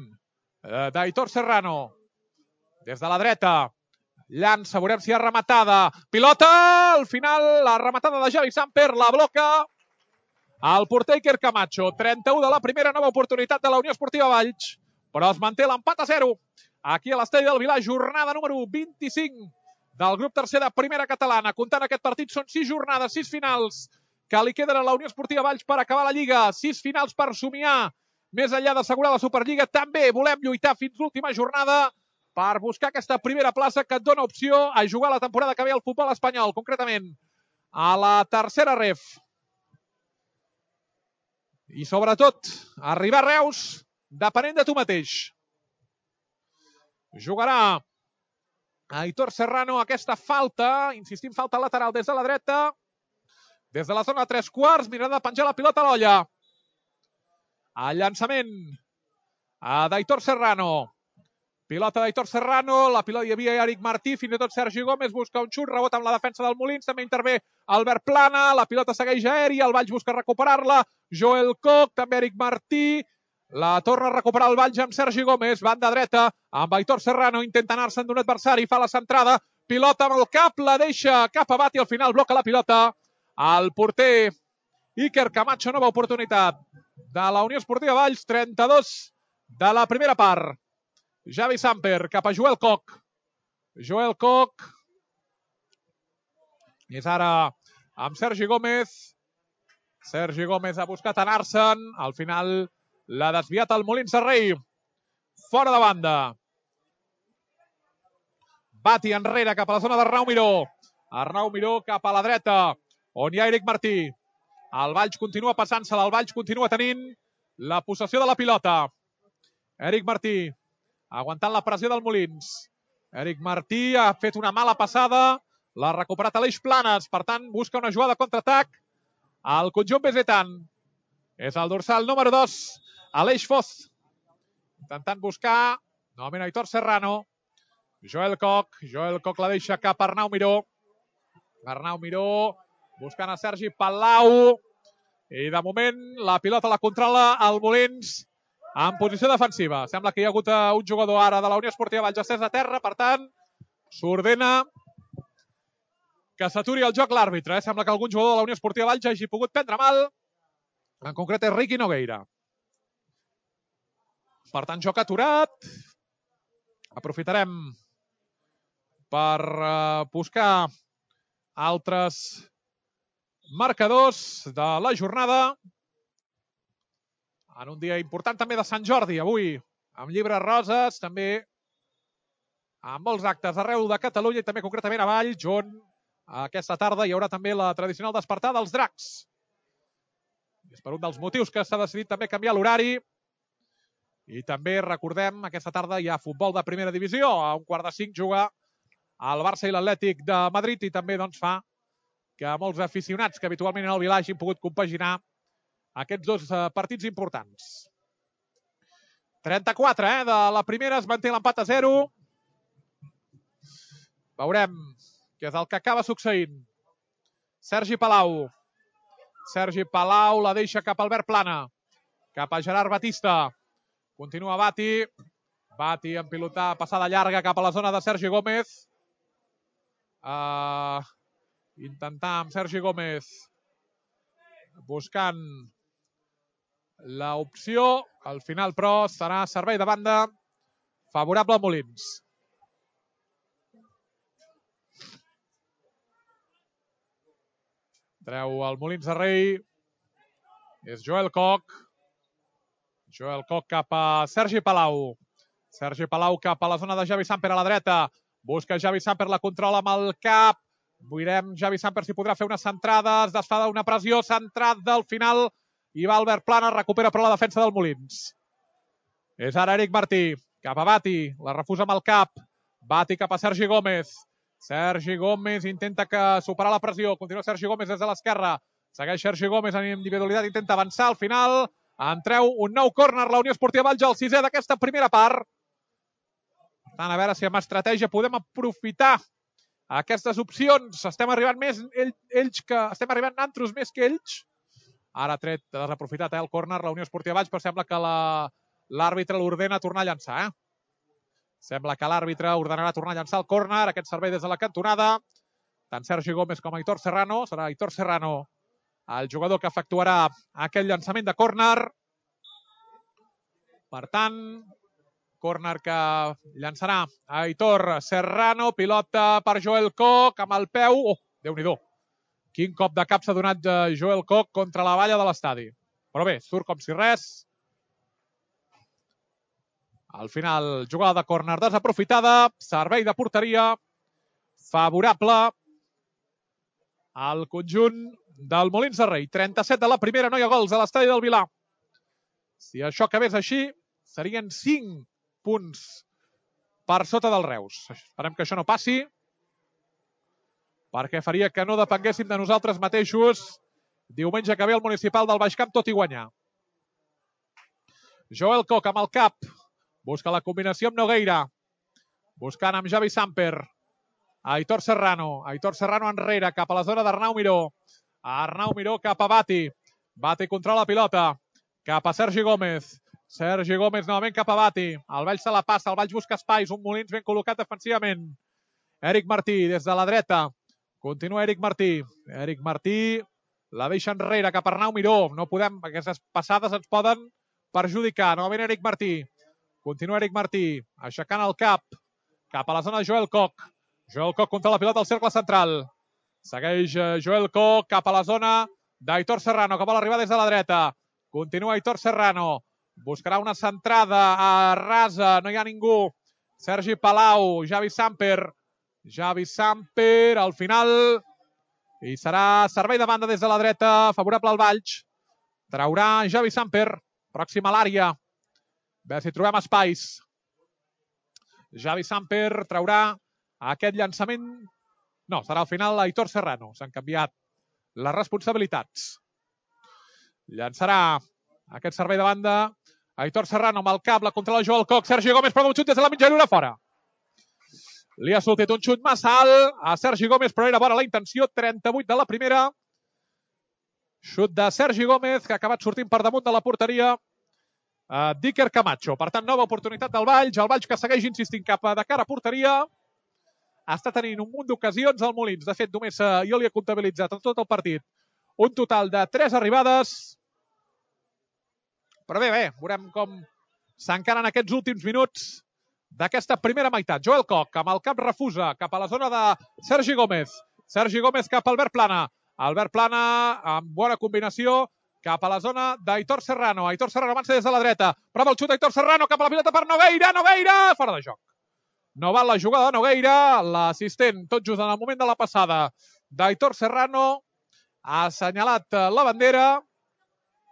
d'Aitor Serrano. Des de la dreta. Llança, veurem si hi ha rematada. Pilota, al final la rematada de Javi Samper la bloca el porter Iker Camacho. 31 de la primera, nova oportunitat de la Unió Esportiva Valls, però es manté l'empat a 0 aquí a l'estadi del Vilar, jornada número 25 del grup tercer de primera catalana. Comptant aquest partit són 6 jornades, 6 finals que li queden a la Unió Esportiva Valls per acabar la Lliga, 6 finals per somiar més enllà d'assegurar la Superliga. També volem lluitar fins l'última jornada per buscar aquesta primera plaça que et dona opció a jugar la temporada que ve al futbol espanyol, concretament a la tercera ref. I sobretot, arribar a Reus depenent de tu mateix. Jugarà Aitor Serrano aquesta falta, insistim, falta lateral des de la dreta, des de la zona de 3/4, mirant de penjar la pilota a l'olla. El llançament d'Aitor Serrano. Pilota d'Aitor Serrano, la pilota hi havia Eric Martí, fins i tot Sergi Gómez busca un xut, rebot amb la defensa del Molins, també intervé Albert Plana, la pilota segueix aèria, el Valls busca recuperar-la, Joel Koch, també Eric Martí, la torna a recuperar el Valls amb Sergi Gómez, banda dreta, amb Aitor Serrano, intenta anar-se'n d'un adversari, fa la centrada, pilota amb el cap, la deixa cap a Bati, al final bloca la pilota, el porter Iker Camacho, nova oportunitat de la Unió Esportiva Valls, 32 de la primera part. Javi Samper cap a Joel Koch. Joel Koch. És ara amb Sergi Gómez. Sergi Gómez ha buscat anar-se'n. Al final l'ha desviat el Molins de Rei. Fora de banda. Bati enrere cap a la zona d'Arnau Miró. Arnau Miró cap a la dreta, on hi ha Eric Martí. El Valls continua passant-se-la. El Valls continua tenint la possessió de la pilota. Eric Martí aguantant la pressió del Molins. Eric Martí ha fet una mala passada, l'ha recuperat Aleix Planes, per tant busca una jugada de contraatac al conjunt besetan. És el dorsal número 2, Aleix Foz, intentant buscar novament Aitor Serrano. Joel Koch la deixa cap a Arnau Miró. Arnau Miró buscant a Sergi Palau. I de moment la pilota la controla el Molins en posició defensiva. Sembla que hi ha hagut un jugador ara de la Unió Esportiva Valls estès a terra, per tant, s'ordena que s'aturi el joc l'àrbitre. Sembla que algun jugador de la Unió Esportiva Valls hagi pogut prendre mal. En concret és Riqui Nogueira. Per tant, joc aturat. Aprofitarem per buscar altres marcadors de la jornada. En un dia important també de Sant Jordi, avui, amb llibres roses, també amb molts actes arreu de Catalunya i també concretament a Valls, on aquesta tarda hi haurà també la tradicional despertar dels dracs. És per un dels motius que s'ha decidit també canviar l'horari. I també recordem, aquesta tarda hi ha futbol de primera divisió. A 4:45 juga el Barça i l'Atlètic de Madrid i també doncs, fa que molts aficionats que habitualment en el Vilà hagin pogut compaginar aquests dos partits importants. 34, de la primera, es manté l'empat a 0. Veurem què és el que acaba succeint. Sergi Palau. Sergi Palau la deixa cap a Albert Plana. Cap a Gerard Batista. Continua Bati. Bati en pilotar passada llarga cap a la zona de Sergi Gómez. Intentar amb Sergi Gómez buscant l'opció. Al final, però, serà servei de banda favorable a Molins. Treu el Molins de Rei. És Joel Koch. Joel Koch cap a Sergi Palau. Sergi Palau cap a la zona de Javi Samper a la dreta. Busca Javi Samper, la controla amb el cap. Veurem Javi Samper si podrà fer una centrada. Es desfà d'una pressió. Centrada al final. I va Albert Plana. Recupera però la defensa del Molins. És ara Eric Martí. Cap a Bati. La refusa amb el cap. Bati cap a Sergi Gómez. Sergi Gómez intenta superar la pressió. Continua Sergi Gómez des de l'esquerra. Segueix Sergi Gómez en individualitat. Intenta avançar. Al final en treu un nou córner la Unió Esportiva Valls, el 6è d'aquesta primera part. Per tant, a veure si amb estratègia podem aprofitar aquestes opcions. Estem arribant nantros més que ells. Ara ha tret desaprofitat el córner la Unió Esportiva Valls, però sembla que l'àrbitre l'ordena a tornar a llançar. Sembla que l'àrbitre ordenarà tornar a llançar el córner. Aquest servei des de la cantonada. Tant Sergi Gómez com Aitor Serrano. Serà Aitor Serrano el jugador que efectuarà aquest llançament de córner. Per tant, córner que llançarà Aitor Serrano. Pilota per Joel Koch amb el peu. Oh, Déu-n'hi-do. Quin cop de cap s'ha donat Joel Koch contra la valla de l'estadi. Però bé, surt com si res. Al final, jugada de córner desaprofitada. Servei de porteria favorable al conjunt del Molins de Rei. 37 de la primera, no hi ha gols a l'estadi del Vilà. Si això acabés així, serien 5 punts per sota del Reus. Esperem que això no passi, perquè faria que no depenguéssim de nosaltres mateixos diumenge que ve al municipal del Baix Camp, tot i guanyar. Joel Koch amb el cap. Busca la combinació amb Nogueira. Buscant amb Javi Samper. Aitor Serrano. Aitor Serrano enrere, cap a la zona d'Arnau Miró. Arnau Miró cap a Bati. Bati controla la pilota. Cap a Sergi Gómez. Sergi Gómez novament cap a Bati. El Valls se la passa, el Valls busca espais. Un Molins ben col·locat defensivament. Eric Martí des de la dreta. Continua Eric Martí. Eric Martí la deixa enrere cap a Arnau Miró. No podem, aquestes passades ens poden perjudicar. Novament Eric Martí. Continua Eric Martí, aixecant el cap a la zona de Joel Koch. Joel Koch contra la pilota al cercle central. Segueix Joel Koch cap a la zona d'Aitor Serrano, que vol arribar des de la dreta. Continua Aitor Serrano. Buscarà una centrada a rasa, no hi ha ningú. Sergi Palau, Javi Samper. Javi Samper, al final. I serà servei de banda des de la dreta, favorable al Valls. Traurà Javi Samper, pròxim a l'àrea. A veure si trobem espais. Javi Samper traurà aquest llançament. No, serà al final Aitor Serrano. S'han canviat les responsabilitats. Llançarà aquest servei de banda Aitor Serrano amb el cap, la controla Joel Koch. Sergi Gómez prova un xut des de la mitjanura fora. Li ha sortit un xut massa alt a Sergi Gómez, però era bona la intenció. 38 de la primera. Xut de Sergi Gómez, que ha acabat sortint per damunt de la porteria d'Iker Camacho. Per tant, nova oportunitat del Valls. El Valls que segueix insistint cap de cara a porteria. Està tenint un munt d'ocasions al Molins. De fet, només jo li he comptabilitzat en tot el partit un total de 3 arribades. Però bé, veurem com s'encaren aquests últims minuts d'aquesta primera meitat. Joel Koch, amb el cap refusa cap a la zona de Sergi Gómez. Sergi Gómez cap a Albert Plana. Albert Plana amb bona combinació cap a la zona d'Aitor Serrano. Aitor Serrano avança des de la dreta. Prova el xut d'Aitor Serrano cap a la pilota per Nogueira. Nogueira! Fora de joc. No val la jugada de Nogueira. L'assistent, tot just en el moment de la passada d'Aitor Serrano, ha assenyalat la bandera,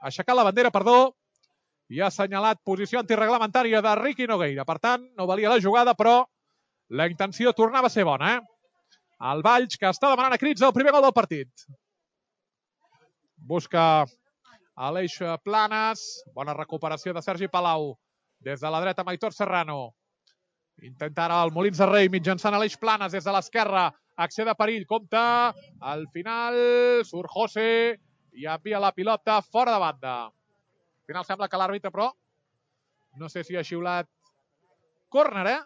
ha aixecat la bandera, perdó, i ha assenyalat posició antireglamentària de Riqui Nogueira. Per tant, no valia la jugada, però la intenció tornava a ser bona. El Valls, que està demanant a crits el primer gol del partit. Busca Aleix Planes. Bona recuperació de Sergi Palau. Des de la dreta amb Aitor Serrano. Intenta ara el Molins de Rei mitjançant Aleix Planes des de l'esquerra. Acció de perill, compta. Al final surt José i envia la pilota fora de banda. Al final sembla que l'àrbitre, però no sé si ha xiulat córner,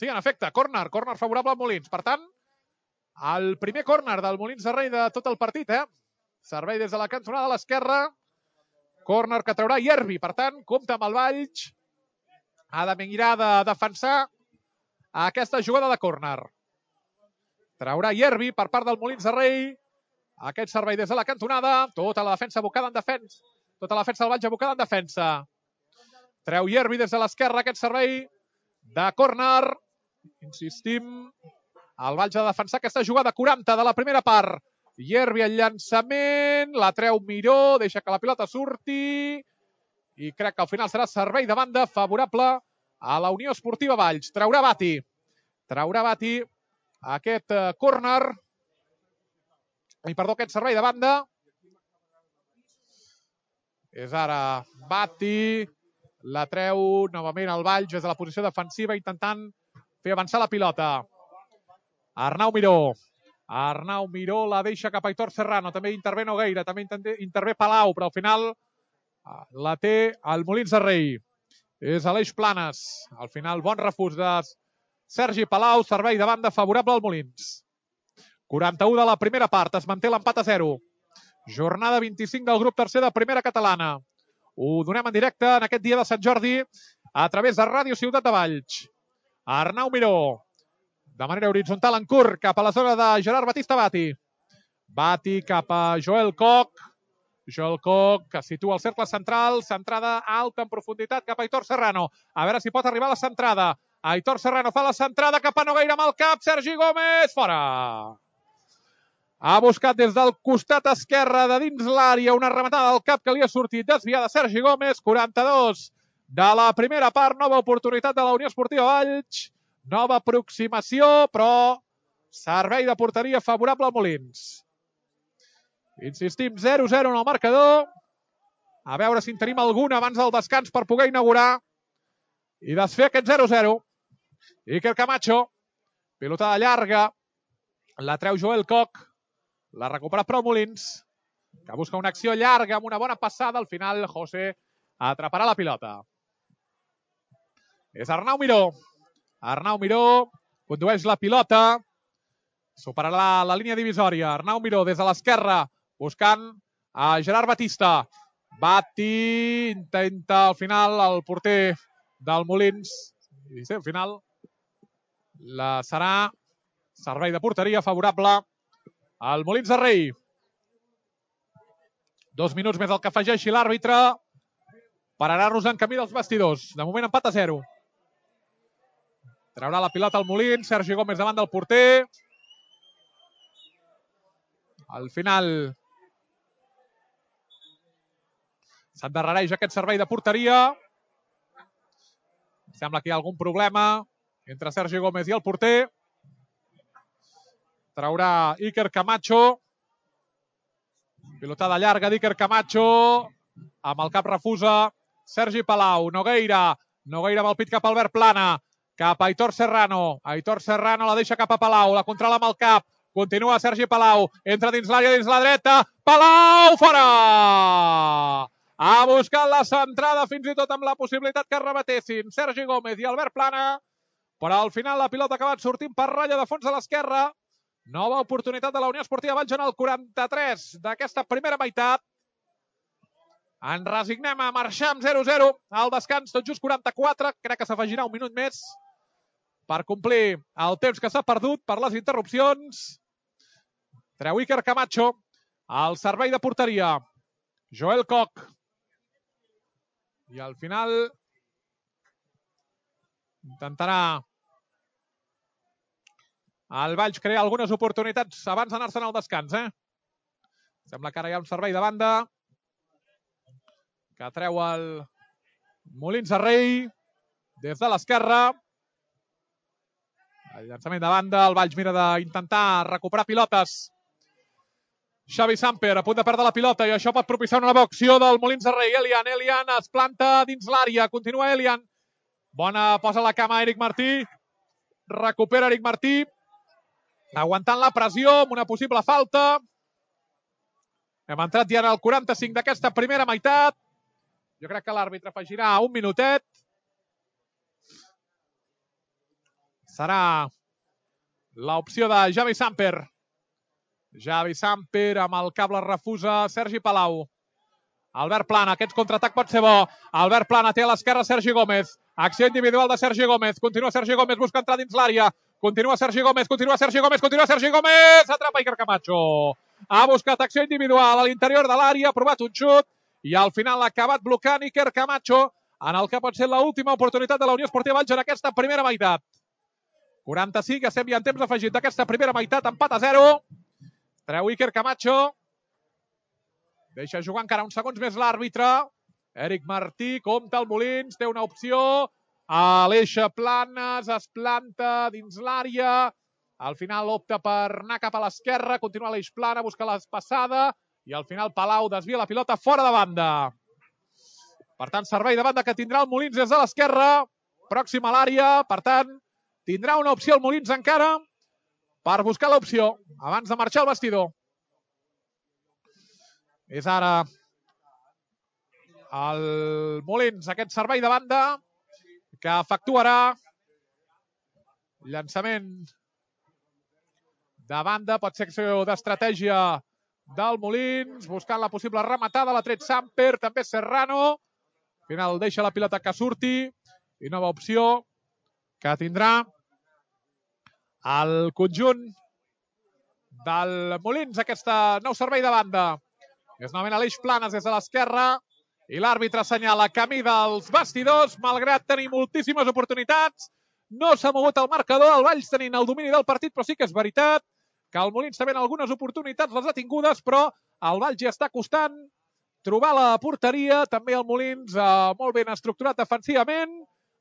Sí, en efecte, córner favorable al Molins. Per tant, el primer córner del Molins de Rei de tot el partit, Servei des de la cantonada a l'esquerra. Córner que traurà Ierbi. Per tant, compta amb el Valls. Ha de mirar de defensar aquesta jugada de córner. Traurà Ierbi per part del Molins de Rei. Aquest servei des de la cantonada. Tota la defensa abocada en defensa. Tota la defensa del Valls abocada en defensa. Treu Ierbi des de l'esquerra aquest servei de córner. Insistim. El Valls ha de defensar aquesta jugada 40 de la primera part. Ierbi el llançament. La treu Miró. Deixa que la pilota surti. I crec que al final serà servei de banda favorable a la Unió Esportiva Valls. Traurà Bati. Traurà Bati aquest córner. Perdó, aquest servei de banda. És ara Bati. La treu novament el Valls des de la posició defensiva intentant fer avançar la pilota. Arnau Miró. Arnau Miró la deixa cap a Aitor Serrano. També intervé Nogueira. També intervé Palau, però al final la té el Molins de Rei. És Aleix Planes. Al final, bon refús de Sergi Palau. Servei de banda favorable al Molins. 41 de la primera part. Es manté l'empat a 0. Jornada 25 del grup tercer de primera catalana. Ho donem en directe en aquest dia de Sant Jordi a través de Ràdio Ciutat de Valls. Arnau Miró. De manera horitzontal en curt cap a la zona de Gerard Batista Bati. Bati cap a Joel Koch. Joel Koch que situa el cercle central. Centrada alta en profunditat cap a Aitor Serrano. A veure si pot arribar a la centrada. Aitor Serrano fa la centrada cap a Nogueira amb el cap. Sergi Gómez, fora. Ha buscat des del costat esquerre de dins l'àrea una rematada del cap que li ha sortit desviada Sergi Gómez. 42 de la primera part. Nova oportunitat de la Unió Esportiva Valls. Nova aproximació, però servei de porteria favorable al Molins. Insistim, 0-0 en el marcador. A veure si en tenim alguna abans del descans per poder inaugurar i desfer aquest 0-0. Iker Camacho. Pilotada llarga. La treu Joel Koch. La recupera però Molins, que busca una acció llarga amb una bona passada. Al final, José atraparà la pilota. És Arnau Miró. Arnau Miró condueix la pilota. Superarà la línia divisòria. Arnau Miró des de l'esquerra buscant a Gerard Batista. Bati intenta al final el porter del Molins. I sí, al final serà servei de porteria favorable al Molins de Rei. 2 minuts més el que afegeixi l'àrbitre per anar-nos en camí dels vestidors. De moment empat a 0. Traurà la pilota al Molins. Sergi Gómez davant del porter. Al final s'endarrereix aquest servei de porteria. Sembla que hi ha algun problema entre Sergi Gómez i el porter. Traurà Iker Camacho. Pilotada llarga d'Iker Camacho. Amb el cap refusa Sergi Palau. Nogueira. Nogueira amb el pit cap a Albert Plana. Cap a Aitor Serrano. Aitor Serrano la deixa cap a Palau. La controla amb el cap. Continua Sergi Palau. Entra dins l'àrea, dins la dreta. Palau, fora! Ha buscat la centrada, fins i tot amb la possibilitat que rebatessin Sergi Gómez i Albert Plana, però al final la pilota ha acabat sortint per ratlla de fons a l'esquerra. Nova oportunitat de la Unió Esportiva Valls en el 43 d'aquesta primera meitat. Ens resignem a marxar amb 0-0 al descans, tot just 44. Crec que s'afegirà un minut més per complir el temps que s'ha perdut per les interrupcions. Treu Iker Camacho al servei de porteria. Joel Koch. I al final intentarà el Valls crear algunes oportunitats abans d'anar-se'n al descans. Sembla que ara hi ha un servei de banda que treu el Molins de Rei des de l'esquerra. El llançament de banda, el Valls mira d'intentar recuperar pilotes. Xavi Samper a punt de perdre la pilota i això pot propiciar una nova acció del Molins de Rei. Elian es planta dins l'àrea, continua Elian. Bona, posa la cama Eric Martí. Recupera Eric Martí. Aguantant la pressió amb una possible falta. Hem entrat ja en el 45 d'aquesta primera meitat. Jo crec que l'àrbitre afegirà un minutet. Serà l'opció de Xavi Samper. Xavi Samper amb el cable refusa Sergi Palau. Albert Plana, aquest contraatac pot ser bo. Albert Plana té a l'esquerra Sergi Gómez. Acció individual de Sergi Gómez. Continua Sergi Gómez, busca entrar dins l'àrea. Continua Sergi Gómez. Atrapa Iker Camacho. Ha buscat acció individual a l'interior de l'àrea, ha provat un xut i al final ha acabat blocant Iker Camacho en el que pot ser l'última oportunitat de la Unió Esportiva Valls en aquesta primera meitat. 45, estem ja en temps afegit d'aquesta primera meitat, empat a 0. Treu Iker Camacho. Deixa jugar encara uns segons més l'àrbitre. Eric Martí, compta el Molins, té una opció. Aleixa Planes, es planta dins l'àrea. Al final opta per anar cap a l'esquerra. Continua Aleix Plana, busca l'espassada. I al final Palau desvia la pilota fora de banda. Per tant, servei de banda que tindrà el Molins des de l'esquerra. Pròxim a l'àrea. Per tant, tindrà una opció el Molins encara per buscar l'opció abans de marxar al vestidor. És ara el Molins, aquest servei de banda que efectuarà llançament de banda, pot ser acció d'estratègia del Molins, buscant la possible rematada, l'ha tret Samper, també Serrano. Al final deixa la pilota que surti i nova opció que tindrà el conjunt del Molins, aquest nou servei de banda. És novament Aleix Planes des de l'esquerra i l'àrbitre assenyala camí dels vestidors, malgrat tenir moltíssimes oportunitats. No s'ha mogut el marcador, el Valls tenint el domini del partit, però sí que és veritat que el Molins també en algunes oportunitats les ha tingudes, però el Valls ja està costant trobar la porteria, també el Molins molt ben estructurat defensivament.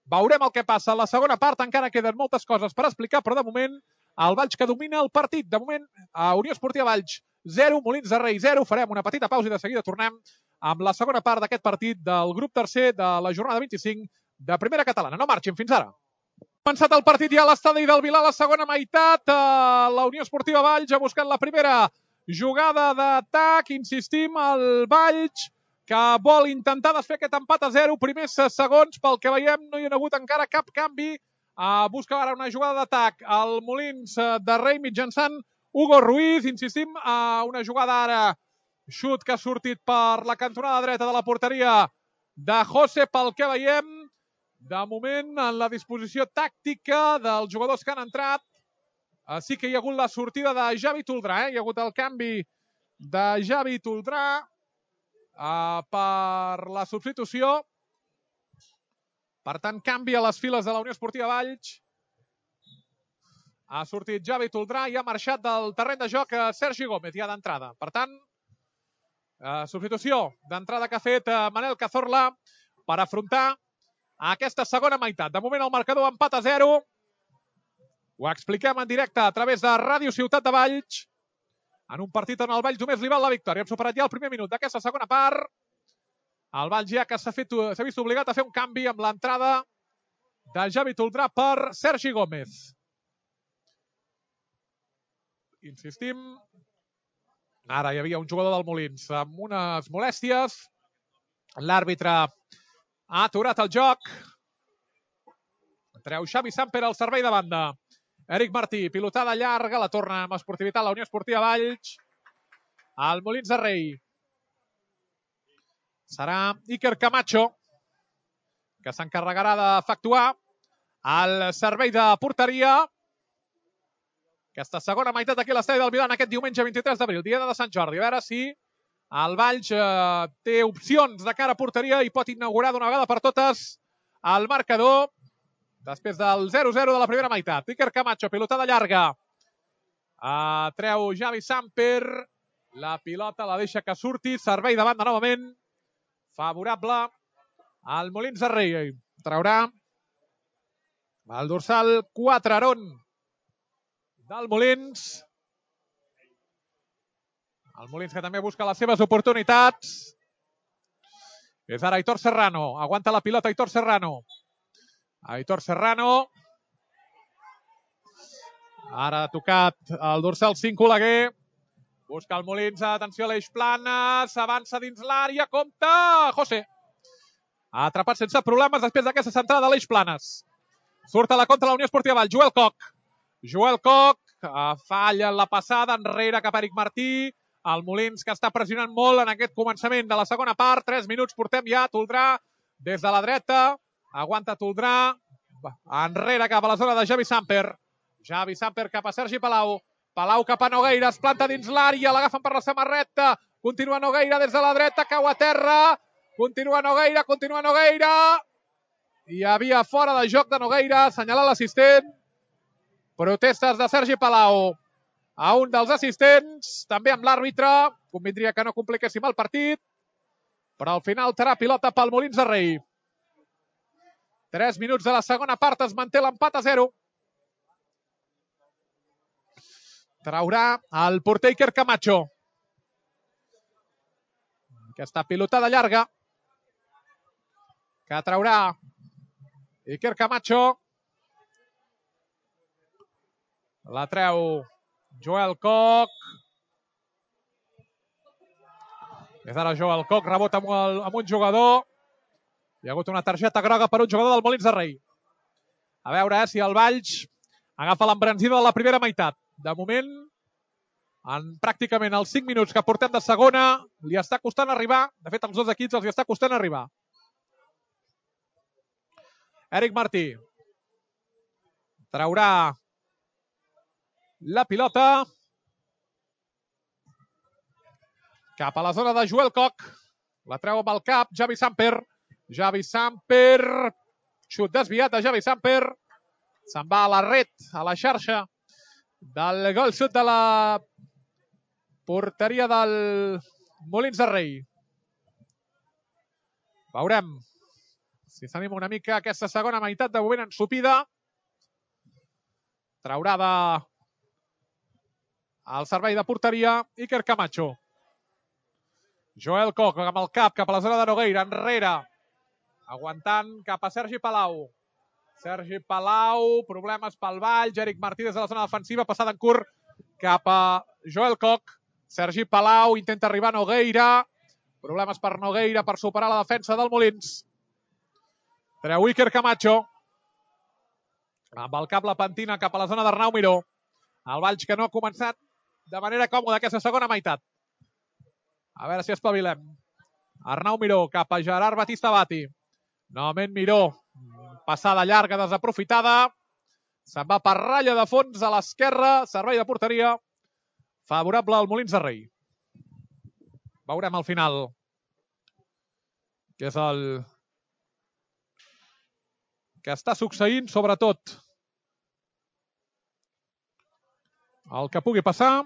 Veurem el que passa a la segona part, encara queden moltes coses per explicar, però de moment el Valls que domina el partit. De moment, a Unió Esportiva Valls 0, Molins de Rei 0. Farem una petita pausa i de seguida tornem amb la segona part d'aquest partit del grup tercer de la jornada 25 de Primera Catalana. No marxin, fins ara. Ha començat el partit ja a l'estadi del Vilar, la segona meitat. La Unió Esportiva Valls ha buscat la primera jugada d'atac. Insistim, el Valls que vol intentar desfer aquest empat a 0. Primers segons, pel que veiem, no hi ha hagut encara cap canvi. Busca ara una jugada d'atac al Molins de Rei mitjançant Hugo Ruiz. Insistim, una jugada ara, xut que ha sortit per la cantonada dreta de la porteria de José, pel que veiem. De moment, en la disposició tàctica dels jugadors que han entrat, sí que hi ha hagut la sortida de Javi Toldrà. Hi ha hagut el canvi de Javi Toldrà per la substitució. Per tant, canvi a les files de la Unió Esportiva Valls. Ha sortit Javi Toldrà i ha marxat del terreny de joc Sergi Gómez, ja d'entrada. Per tant, substitució d'entrada que ha fet Manel Cazorla per afrontar aquesta segona meitat. De moment el marcador empat a 0. Ho expliquem en directe a través de Ràdio Ciutat de Valls. En un partit on el Valls només li val la victòria. Hem superat ja el primer minut d'aquesta segona part. El Valls ja que s'ha vist obligat a fer un canvi amb l'entrada de Javi Toldrà per Sergi Gómez. Insistim. Ara hi havia un jugador del Molins amb unes molèsties. L'àrbitre ha aturat el joc. Treu Xavi Samper al servei de banda. Eric Martí, pilotada llarga, la torna amb esportivitat la Unió Esportiva Valls. Al Molins de Rei. Serà Iker Camacho, que s'encarregarà d'efectuar el servei de porteria. Aquesta segona meitat aquí a l'estadi del Vilar aquest diumenge 23 d'abril, dia de Sant Jordi. A veure si el Valls té opcions de cara a porteria i pot inaugurar d'una vegada per totes el marcador després del 0-0 de la primera meitat. Iker Camacho, pilotada llarga. Treu Xavi Samper. La pilota la deixa que surti. Servei de banda novament. Favorable al Molins de Rei. Traurà el dorsal 4 Aron del Molins. El Molins que també busca les seves oportunitats. És ara Aitor Serrano. Aguanta la pilota Aitor Serrano. Aitor Serrano. Ara ha tocat el dorsal 5 Oleguer. Busca el Molins. Atenció a l'Eix Planes. S'avança dins l'àrea. Compte! José. Ha atrapat sense problemes després d'aquesta centrada a l'Eix Planes. Surt a la contra la Unió Esportiva Valls. Joel Koch. Joel Koch falla en la passada. Enrere cap a Eric Martí. El Molins que està pressionant molt en aquest començament de la segona part. 3 minuts portem ja. Toldrà des de la dreta. Aguanta Toldrà. Enrere cap a la zona de Xavi Samper. Xavi Samper cap a Sergi Palau. Palau cap a Nogueira. Es planta dins l'àrea. L'agafen per la samarreta. Continua Nogueira des de la dreta. Cau a terra. Continua Nogueira. Continua Nogueira. Hi havia fora de joc de Nogueira. Assenyalar l'assistent. Protestes de Sergi Palau a un dels assistents. També amb l'àrbitre. Convindria que no compliquéssim el partit. Però al final serà pilota pel Molins de Rei. 3 minuts de la segona part. Es manté l'empat a 0. Traurà el porter Iker Camacho. Aquesta pilotada llarga que traurà Iker Camacho. La treu Joel Koch. És ara Joel Koch. Rebot amb un jugador. Hi ha hagut una targeta groga per un jugador del Molins de Rei. A veure si el Valls agafa l'embranzida de la primera meitat. De moment, en pràcticament els 5 minuts que portem de segona, li està costant arribar. De fet, als dos equips els està costant arribar. Eric Martí. Traurà la pilota cap a la zona de Joel Koch. La treu amb el cap Xavi Samper. Xavi Samper. Xut desviat de Xavi Samper. Se'n va a la red, a la xarxa del gol xut de la porteria del Molins de Rei. Veurem si s'anima una mica aquesta segona meitat de moment ensupida. Traurà al servei de porteria Iker Camacho. Joel Koch amb el cap cap a la zona de Nogueira. Enrere. Aguantant cap a Sergi Palau. Sergi Palau. Problemes pel Valls. Eric Martí des de la zona defensiva. Passada en curt cap a Joel Koch. Sergi Palau intenta arribar a Nogueira. Problemes per Nogueira per superar la defensa del Molins. Treu Iker Camacho. Amb el cap la pentina cap a la zona d'Arnau Miró. El Valls que no ha començat de manera còmoda aquesta segona meitat. A veure si espavilem. Arnau Miró cap a Gerard Batista Bati. Novament Miró. Passada llarga desaprofitada. Se'n va per ratlla de fons a l'esquerra. Servei de porteria. Favorable al Molins de Rei. Veurem al final què és el que està succeint, sobretot el que pugui passar.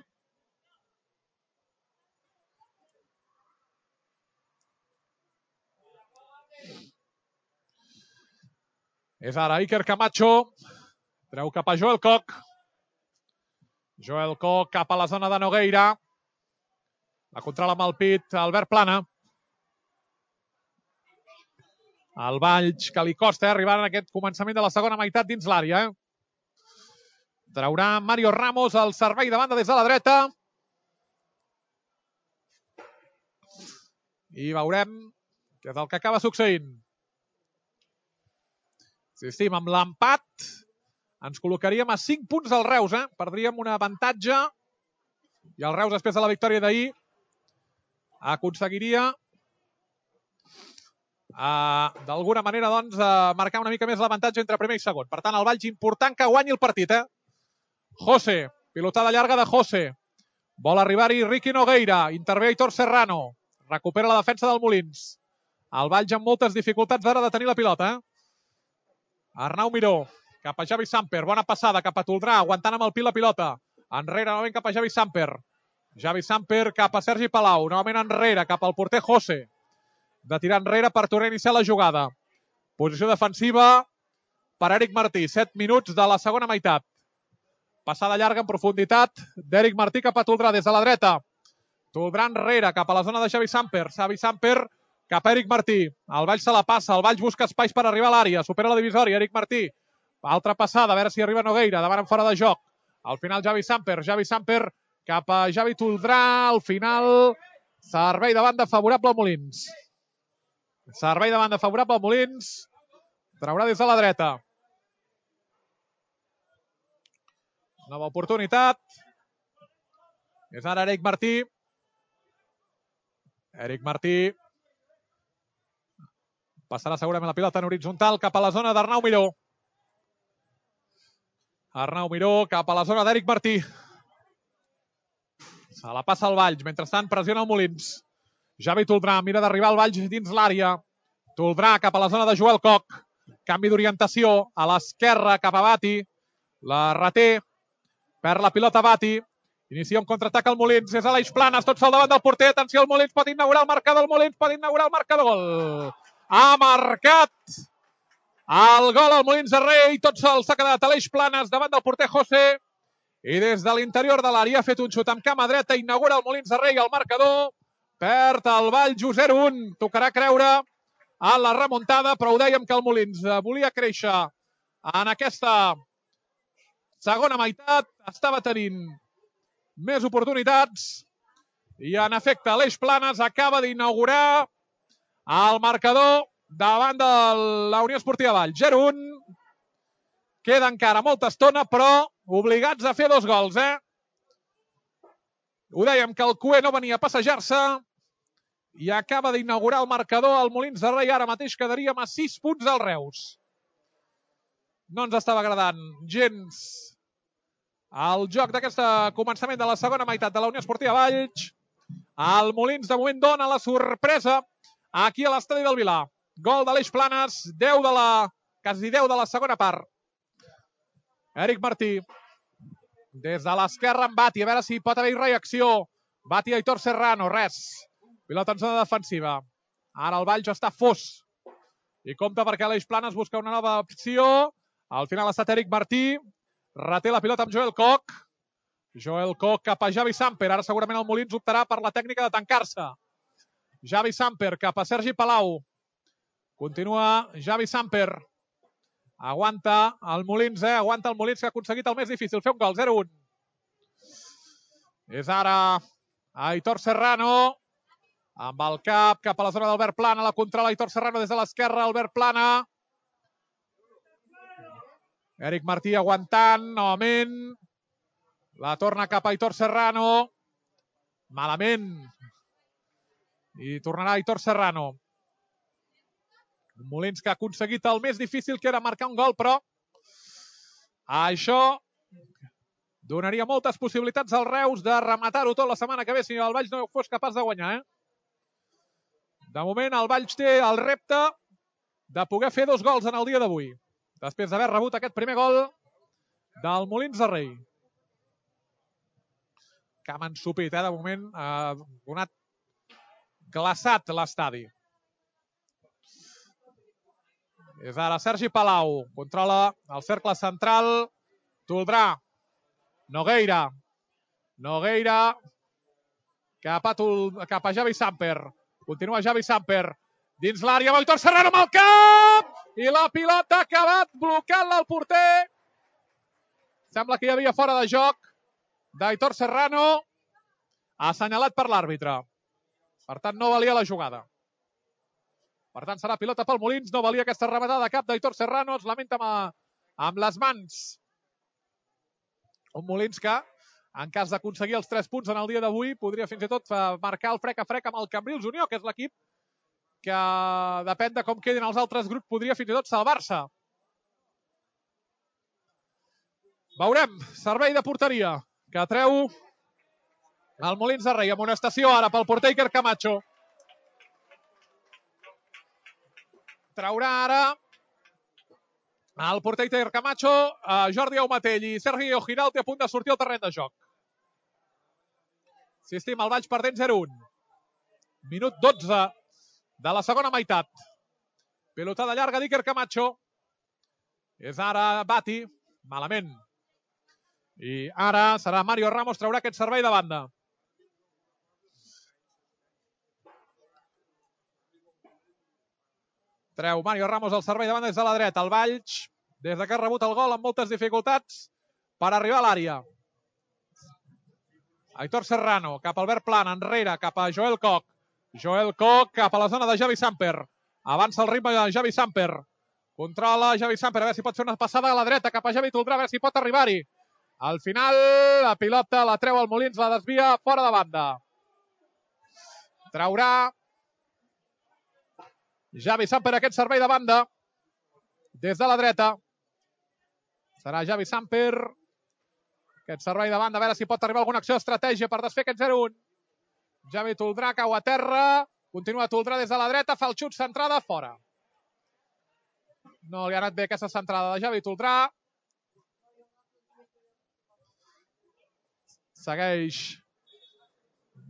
És ara Iker Camacho. Treu cap a Joel Koch. Joel Koch cap a la zona de Nogueira. La controla amb el pit Albert Plana. El Valls que li costa arribar en aquest començament de la segona meitat dins l'àrea. Traurà Mario Ramos al servei de banda des de la dreta. I veurem què és el que acaba succeint. Insistim, amb l'empat ens col·locaríem a 5 punts del Reus. Perdríem un avantatge i el Reus, després de la victòria d'ahir, aconseguiria d'alguna manera doncs marcar una mica més l'avantatge entre primer i segon. Per tant, el Valls important que guanyi el partit. José, pilotada llarga de José. Vol arribar-hi Ricky Nogueira. Intervé Aitor Serrano. Recupera la defensa del Molins. El Valls amb moltes dificultats ara de tenir la pilota. Arnau Miró. Cap a Javi Samper. Bona passada cap a Toldrà. Aguantant amb el pil la pilota. Enrere, novament cap a Javi Samper. Javi Samper cap a Sergi Palau. Novament enrere cap al porter José. De tirar enrere per tornar a iniciar la jugada. Posició defensiva per Eric Martí. 7 minuts de la segona meitat. Passada llarga en profunditat d'Eric Martí cap a Toldrà des de la dreta. Toldrà enrere cap a la zona de Javi Samper. Javi Samper cap a Eric Martí. El Valls se la passa. El Valls busca espais per arribar a l'àrea. Supera la divisòria. Eric Martí. Altra passada. A veure si arriba Nogueira. Davant en fora de joc. Al final Javi Samper. Javi Samper cap a Javi Toldrà. Al final servei de banda favorable al Molins. Servei de banda favorable al Molins. Traurà des de la dreta. Nova oportunitat. És ara Eric Martí. Eric Martí. Passarà segurament la pilota en horitzontal cap a la zona d'Arnau Miró. Arnau Miró cap a la zona d'Eric Martí. Se la passa el Valls. Mentrestant pressiona el Molins. Javi Toldrà mira d'arribar al Valls dins l'àrea. Toldrà cap a la zona de Joel Coc. Canvi d'orientació a l'esquerra cap a Bati. La reté. Perd la pilota Bati. Inicia un contraatac al Molins. És Aleix Planes. Tot sol davant del porter. Atenció, el Molins pot inaugurar el marcador. El Molins pot inaugurar el marcador. Ha marcat el gol al Molins de Rei. Tot sol s'ha quedat Aleix Planes davant del porter José. I des de l'interior de l'àrea ha fet un xut amb cama dreta. Inaugura el Molins de Rei el marcador. Perd el Valls 0-1. Tocarà creure a la remuntada, però ho dèiem que el Molins volia créixer en aquesta segona meitat. Estava tenint més oportunitats i en efecte Aleix Planes acaba d'inaugurar el marcador davant de la Unió Esportiva Valls. 0-1. Queda encara molta estona, però obligats a fer 2 gols. Ho dèiem que el Cué no venia a passejar-se i acaba d'inaugurar el marcador al Molins de Rei. Ara mateix quedaríem a 6 punts del Reus. No ens estava agradant gens el joc d'aquest començament de la segona meitat de la Unió Esportiva Valls. El Molins de moment dona la sorpresa aquí a l'estadi del Vilar. Gol d'Aleix Planes, quasi 10 de la segona part. Eric Martí. Des de l'esquerra en Bati, a veure si pot haver-hi reacció. Bati, Aitor Serrano, res. Pilota en zona defensiva. Ara el Valls està fos. I compta perquè Aleix Planes busca una nova opció. Al final ha estat Eric Martí. Reté la pilota amb Joel Coc. Joel Coc cap a Javi Samper. Ara segurament el Molins optarà per la tècnica de tancar-se. Javi Samper cap a Sergi Palau. Continua Javi Samper. Aguanta el Molins, aguanta el Molins que ha aconseguit el més difícil, fer un gol, 0-1. És ara Aitor Serrano. Amb el cap a la zona d'Albert Plana. La controla Aitor Serrano des de l'esquerra. Albert Plana. Eric Martí aguantant, novament. La torna cap a Aitor Serrano. Malament. I tornarà Aitor Serrano. Un Molins que ha aconseguit el més difícil, que era marcar un gol, però això donaria moltes possibilitats al Reus de rematar-ho tot la setmana que ve si el Valls no fos capaç de guanyar. De moment el Valls té el repte de poder fer 2 gols en el dia d'avui, després d'haver rebut aquest primer gol del Molins de Rei. Que ha ensupit, de moment ha donat glaçat l'estadi. És ara Sergi Palau. Controla el cercle central. Toldrà. Nogueira. Nogueira. Cap a Javi Samper. Continua Javi Samper. Dins l'àrea amb Aitor Serrano amb el cap. I la pilota ha acabat blocant-la el porter. Sembla que hi havia fora de joc d'Aitor Serrano, assenyalat per l'àrbitre. Per tant, no valia la jugada. Per tant, serà pilota pel Molins. No valia aquesta rematada de cap d'Aitor Serrano. Es lamenta amb les mans. Un Molins que, en cas d'aconseguir els 3 punts en el dia d'avui, podria fins i tot marcar el frec a frec amb el Cambrils Unió, que és l'equip que, depèn de com quedin els altres grups, podria fins i tot salvar-se. Veurem. Servei de porteria que treu el Molins de Rei. Amonestació ara pel porter Iker Camacho. Traurà ara el porter Iker Camacho, Jordi Aumatell i Sergio Giralt a punt de sortir al terreny de joc. Insistim, el Valls perdent 0-1. Minut 12 de la segona meitat. Pilotada llarga d'Iker Camacho. És ara Bati. Malament. I ara serà Mario Ramos, traurà aquest servei de banda. Treu Mario Ramos el servei de banda des de la dreta. El Valls, des que ha rebut el gol, amb moltes dificultats per arribar a l'àrea. Aitor Serrano, cap a Albert Plana, enrere, cap a Joel Koch. Joel Koch cap a la zona de Javi Samper. Avança el ritme de Javi Samper. Controla Javi Samper, a veure si pot fer una passada a la dreta, cap a Javi Toldrà, a veure si pot arribar-hi. Al final, la pilota la treu el Molins, la desvia fora de banda. Traurà Javi Samper aquest servei de banda des de la dreta. Serà Javi Samper. Aquest servei de banda, a veure si pot arribar alguna acció d'estratègia per desfer aquest 0-1. Javi Toldrà cau a terra. Continua Toldrà des de la dreta. Fa el xut, centrada, fora. No li ha anat bé aquesta centrada de Javi Toldrà. Segueix.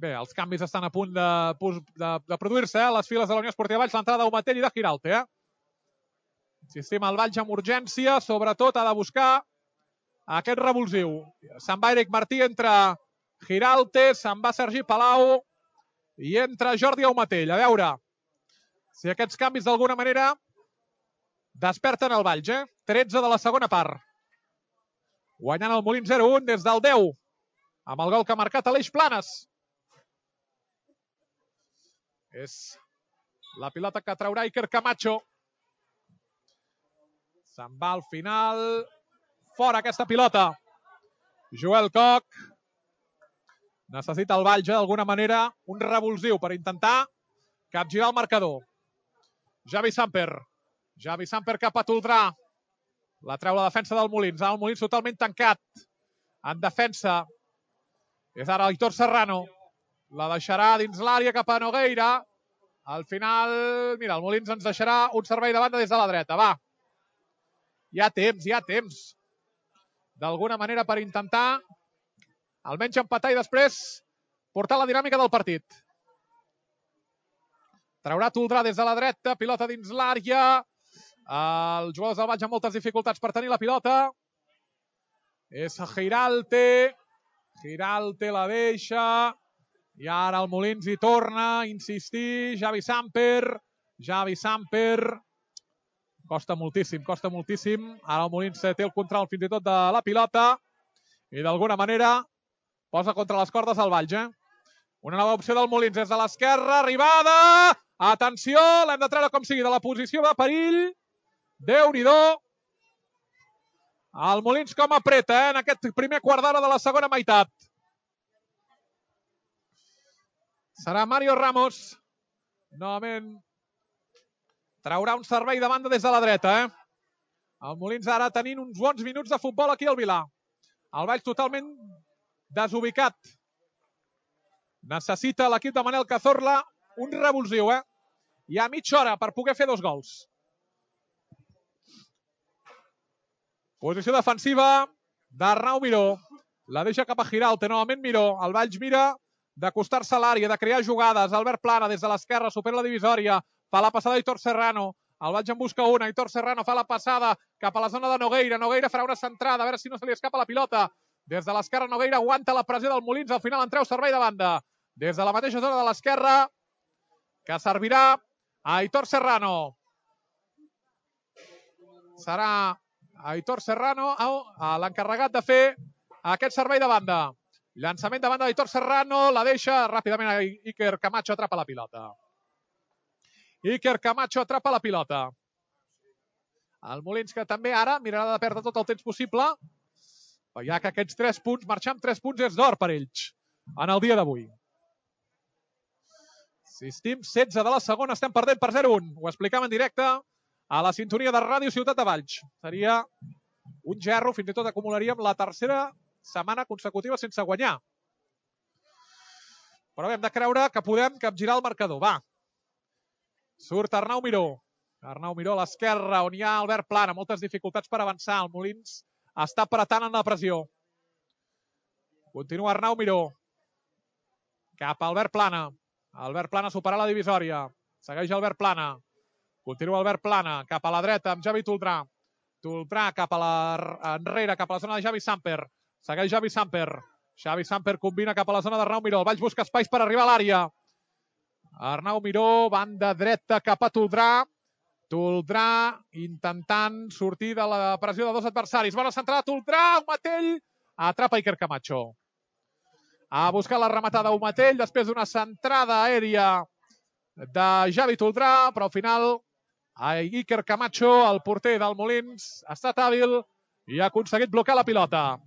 Bé, els canvis estan a punt de produir-se, a les files de la Unió Esportiva Valls, l'entrada d'Aumatell i de Giralte. Insistim, el Valls amb urgència, sobretot ha de buscar aquest revulsiu. Se'n va Eric Martí, entra Giralte, se'n va Sergi Palau i entra Jordi Aumatell. A veure si aquests canvis d'alguna manera desperten el Valls. 13 de la segona part. Guanyant el Molins 0-1 des del 10, amb el gol que ha marcat Aleix Planes. És la pilota que traurà Iker Camacho. Se'n va al final. Fora aquesta pilota. Joel Koch. Necessita el Valls, d'alguna manera, un revulsiu per intentar capgirar el marcador. Javi Samper. Javi Samper cap a Toldrà. La treu la defensa del Molins. El Molins totalment tancat. En defensa. És ara Aitor Serrano. La deixarà dins l'àrea cap a Nogueira. Al final, mira, el Molins ens deixarà un servei de banda des de la dreta. Va. Hi ha temps. D'alguna manera per intentar almenys empatar i després portar la dinàmica del partit. Traurà Toldrà des de la dreta, pilota dins l'àrea. Els jugadors del Valls amb moltes dificultats per tenir la pilota. És Giralte. Giralte la deixa. I ara el Molins hi torna a insistir. Javi Samper. Costa moltíssim. Ara el Molins té el control fins i tot de la pilota. I d'alguna manera posa contra les cordes el Valls. Una nova opció del Molins des de l'esquerra. Arribada. Atenció, l'hem de treure com sigui de la posició de perill. Déu-n'hi-do. El Molins com apreta en aquest primer quart d'hora de la segona meitat. Serà Mario Ramos. Novament traurà un servei de banda des de la dreta. El Molins ara tenint uns bons minuts de futbol aquí al Vilà. El Valls totalment desubicat. Necessita l'equip de Manel Cazorla un revulsiu. Hi ha mitja hora per poder fer 2 gols. Posició defensiva d'Arnau Miró. La deixa cap a Giralte. Novament Miró. El Valls mira d'acostar-se a l'àrea, de crear jugades. Albert Plana des de l'esquerra, supera la divisòria. Fa la passada Aitor Serrano. El Valls en busca una. Aitor Serrano fa la passada cap a la zona de Nogueira. Nogueira farà una centrada, a veure si no se li escapa la pilota. Des de l'esquerra Nogueira aguanta la pressió del Molins. Al final en treu servei de banda. Des de la mateixa zona de l'esquerra, que servirà a Aitor Serrano. Serà Aitor Serrano, l'encarregat de fer aquest servei de banda. Llançament de banda d'Aitor Serrano, la deixa ràpidament a Iker Camacho, atrapa la pilota. Iker Camacho atrapa la pilota. El Molins, que també ara mirarà de perdre tot el temps possible, ja que aquests 3 punts, marxar amb 3 punts és d'or per ells en el dia d'avui. Assistim, 16 de la segona, estem perdent per 0-1. Ho explicam en directe a la sintonia de Ràdio Ciutat de Valls. Seria un gerro, fins i tot acumularíem la tercera setmana consecutiva sense guanyar. Però hem de creure que podem capgirar el marcador. Va. Surt Arnau Miró. Arnau Miró a l'esquerra, on hi ha Albert Plana. Moltes dificultats per avançar. El Molins està apretant en la pressió. Continua Arnau Miró. Cap a Albert Plana. Albert Plana supera la divisòria. Segueix Albert Plana. Continua Albert Plana. Cap a la dreta amb Javi Toldrà. Toldrà cap a enrere, cap a la zona de Javi Samper. Segueix Javi Samper. Javi Samper combina cap a la zona d'Arnau Miró. El Valls busca espais per arribar a l'àrea. Arnau Miró, banda dreta cap a Toldrà. Toldrà intentant sortir de la pressió de 2 adversaris. Bona centrada, Toldrà, Umatell. Atrapa Iker Camacho. Ha buscat la rematada Umatell després d'una centrada aèria de Javi Toldrà, però al final Iker Camacho, el porter del Molins, ha estat hàbil i ha aconseguit blocar la pilota.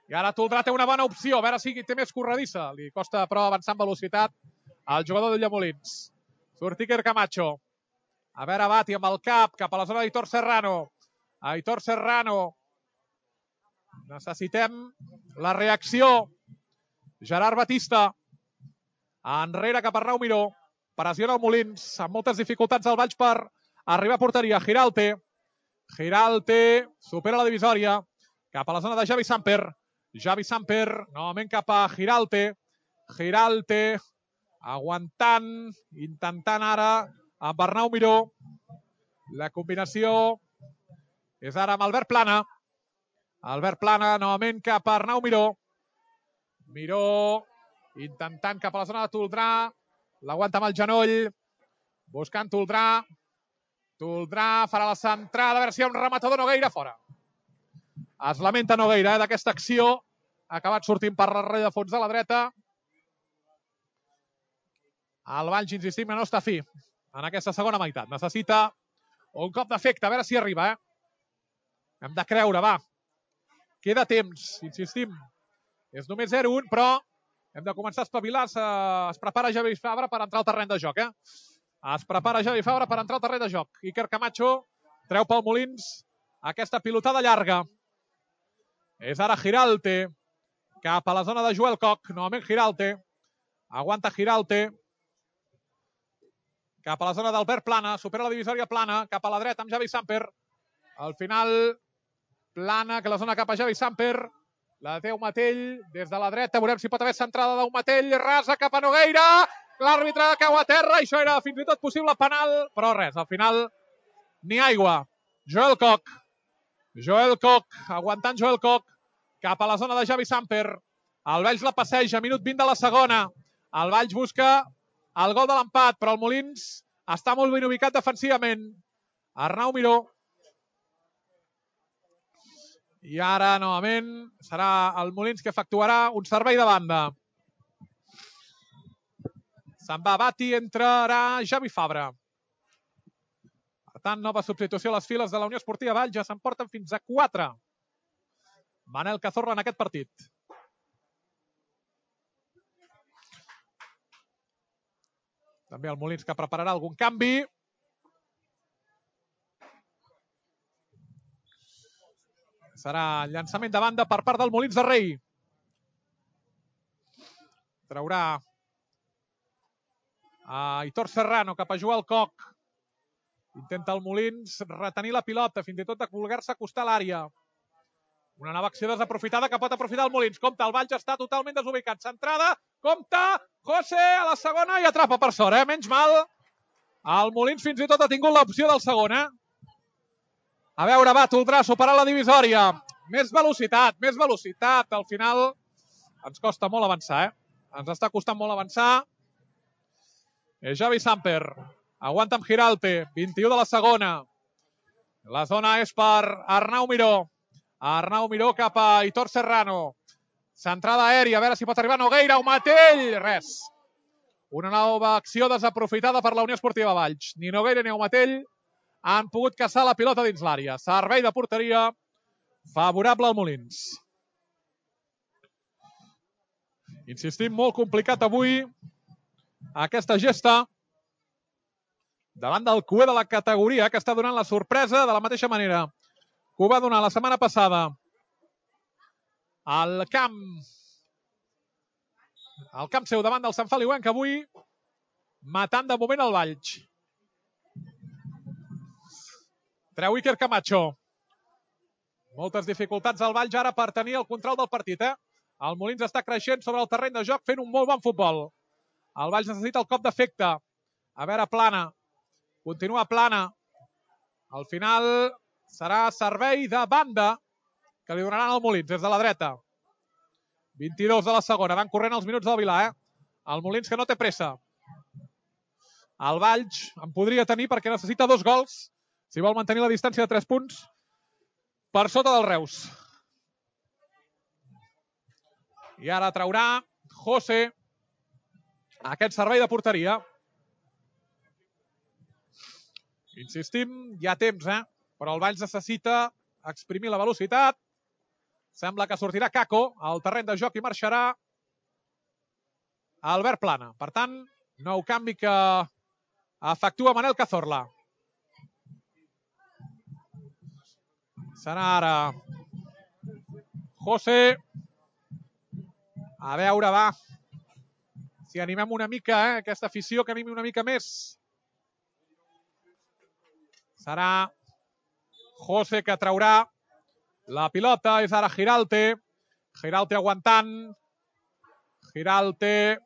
I ara Toldrà té una bona opció, a veure si té més corredissa. Li costa, però, avançar amb velocitat al jugador del Molins. Surt Iker Camacho. A veure, bati amb el cap cap a la zona d'Aitor Serrano. Aitor Serrano. Necessitem la reacció. Gerard Batista. Enrere cap a Arnau Miró. Pressiona el Molins. Amb moltes dificultats al Valls per arribar a porteria. Giralte. Giralte supera la divisòria. Cap a la zona de Javi Samper. Javi Samper, novament cap a Giralte. Giralte, aguantant, intentant ara amb Arnau Miró. La combinació és ara amb Albert Plana. Albert Plana, novament cap a Arnau Miró. Miró, intentant cap a la zona de Toldrà. L'aguanta amb el genoll. Buscant Toldrà. Toldrà farà la centrada. A veure si hi ha un rematador. Nogueira fora. Es lamenta Nogueira d'aquesta acció. Ha acabat sortint per darrere de fons de la dreta. El Valls, insistim, no està fi en aquesta segona meitat. Necessita un cop d'efecte. A veure si arriba. Hem de creure, va. Queda temps, insistim. És només 0-1, però hem de començar a espavilar. Es prepara Javi Fabra per entrar al terreny de joc. Es prepara Javi Fabra per entrar al terreny de joc. Iker Camacho treu pel Molins aquesta pilotada llarga. És ara Giralte. Cap a la zona de Joel Koch. Novament Giralte. Aguanta Giralte. Cap a la zona d'Albert Plana. Supera la divisòria Plana. Cap a la dreta amb Javi Samper. Al final, Plana, que la zona cap a Javi Samper. La té Umatell. Des de la dreta veurem si pot haver centrada d'Umatell. Rasa cap a Nogueira. L'àrbitre cau a terra. Això era fins i tot possible penal. Però res, al final, ni aigua. Joel Koch. Joel Koch, aguantant Joel Koch, cap a la zona de Javi Samper. El Valls la passeja, minut 20 de la segona. El Valls busca el gol de l'empat, però el Molins està molt ben ubicat defensivament. Arnau Miró. I ara, novament, serà el Molins que efectuarà un servei de banda. Se'n va Bati, entrarà Javi Fabra. Per tant, nova substitució a les files de la Unió Esportiva Valls. Ja se'n porten fins a 4. Manel Cazorla en aquest partit. També el Molins que prepararà algun canvi. Serà llançament de banda per part del Molins de Rei. Traurà a Aitor Serrano cap a Joel Koch. Intenta el Molins retenir la pilota, fins i tot de voler-se acostar a l'àrea. Una nova acció desaprofitada que pot aprofitar el Molins. Compte, el Valls està totalment desubicat. Centrada, compte, José a la segona i atrapa per sort. Menys mal, el Molins fins i tot ha tingut l'opció del segon. A veure, va, Toldrà, superar la divisòria. Més velocitat. Al final ens costa molt avançar. Ens està costant molt avançar. Javi Samper. Aguanta amb Giralte. 21 de la segona. La zona és per Arnau Miró. Arnau Miró cap a Aitor Serrano. Centrada aèria, a veure si pot arribar Nogueira, Aumatell, res. Una nova acció desaprofitada per la Unió Esportiva Valls. Ni Nogueira ni Aumatell han pogut caçar la pilota dins l'àrea. Servei de porteria favorable al Molins. Insistim, molt complicat avui aquesta gesta davant del cué de la categoria, que està donant la sorpresa de la mateixa manera que ho va donar la setmana passada al camp seu davant del Sant Feliuenc, que avui matant de moment el Valls. Treu Iker Camacho. Moltes dificultats al Valls ara per tenir el control del partit. El Molins està creixent sobre el terreny de joc fent un molt bon futbol. El Valls necessita el cop d'efecte. A veure, Plana. Continua Plana. Al final serà servei de banda que li donaran al Molins des de la dreta. 22 de la segona. Van corrent els minuts del Vilà. El Molins que no té pressa. El Valls en podria tenir perquè necessita 2 gols si vol mantenir la distància de 3 punts per sota del Reus. I ara traurà José aquest servei de porteria. Insistim, hi ha temps, però el Valls necessita exprimir la velocitat. Sembla que sortirà Caco al terreny de joc i marxarà Albert Plana. Per tant, nou canvi que efectua Manel Cazorla. Serà ara José. A veure, va. Si animem una mica, aquesta afició que animi una mica més. Serà José que traurà la pilota. És ara Giralte. Giralte aguantant. Giralte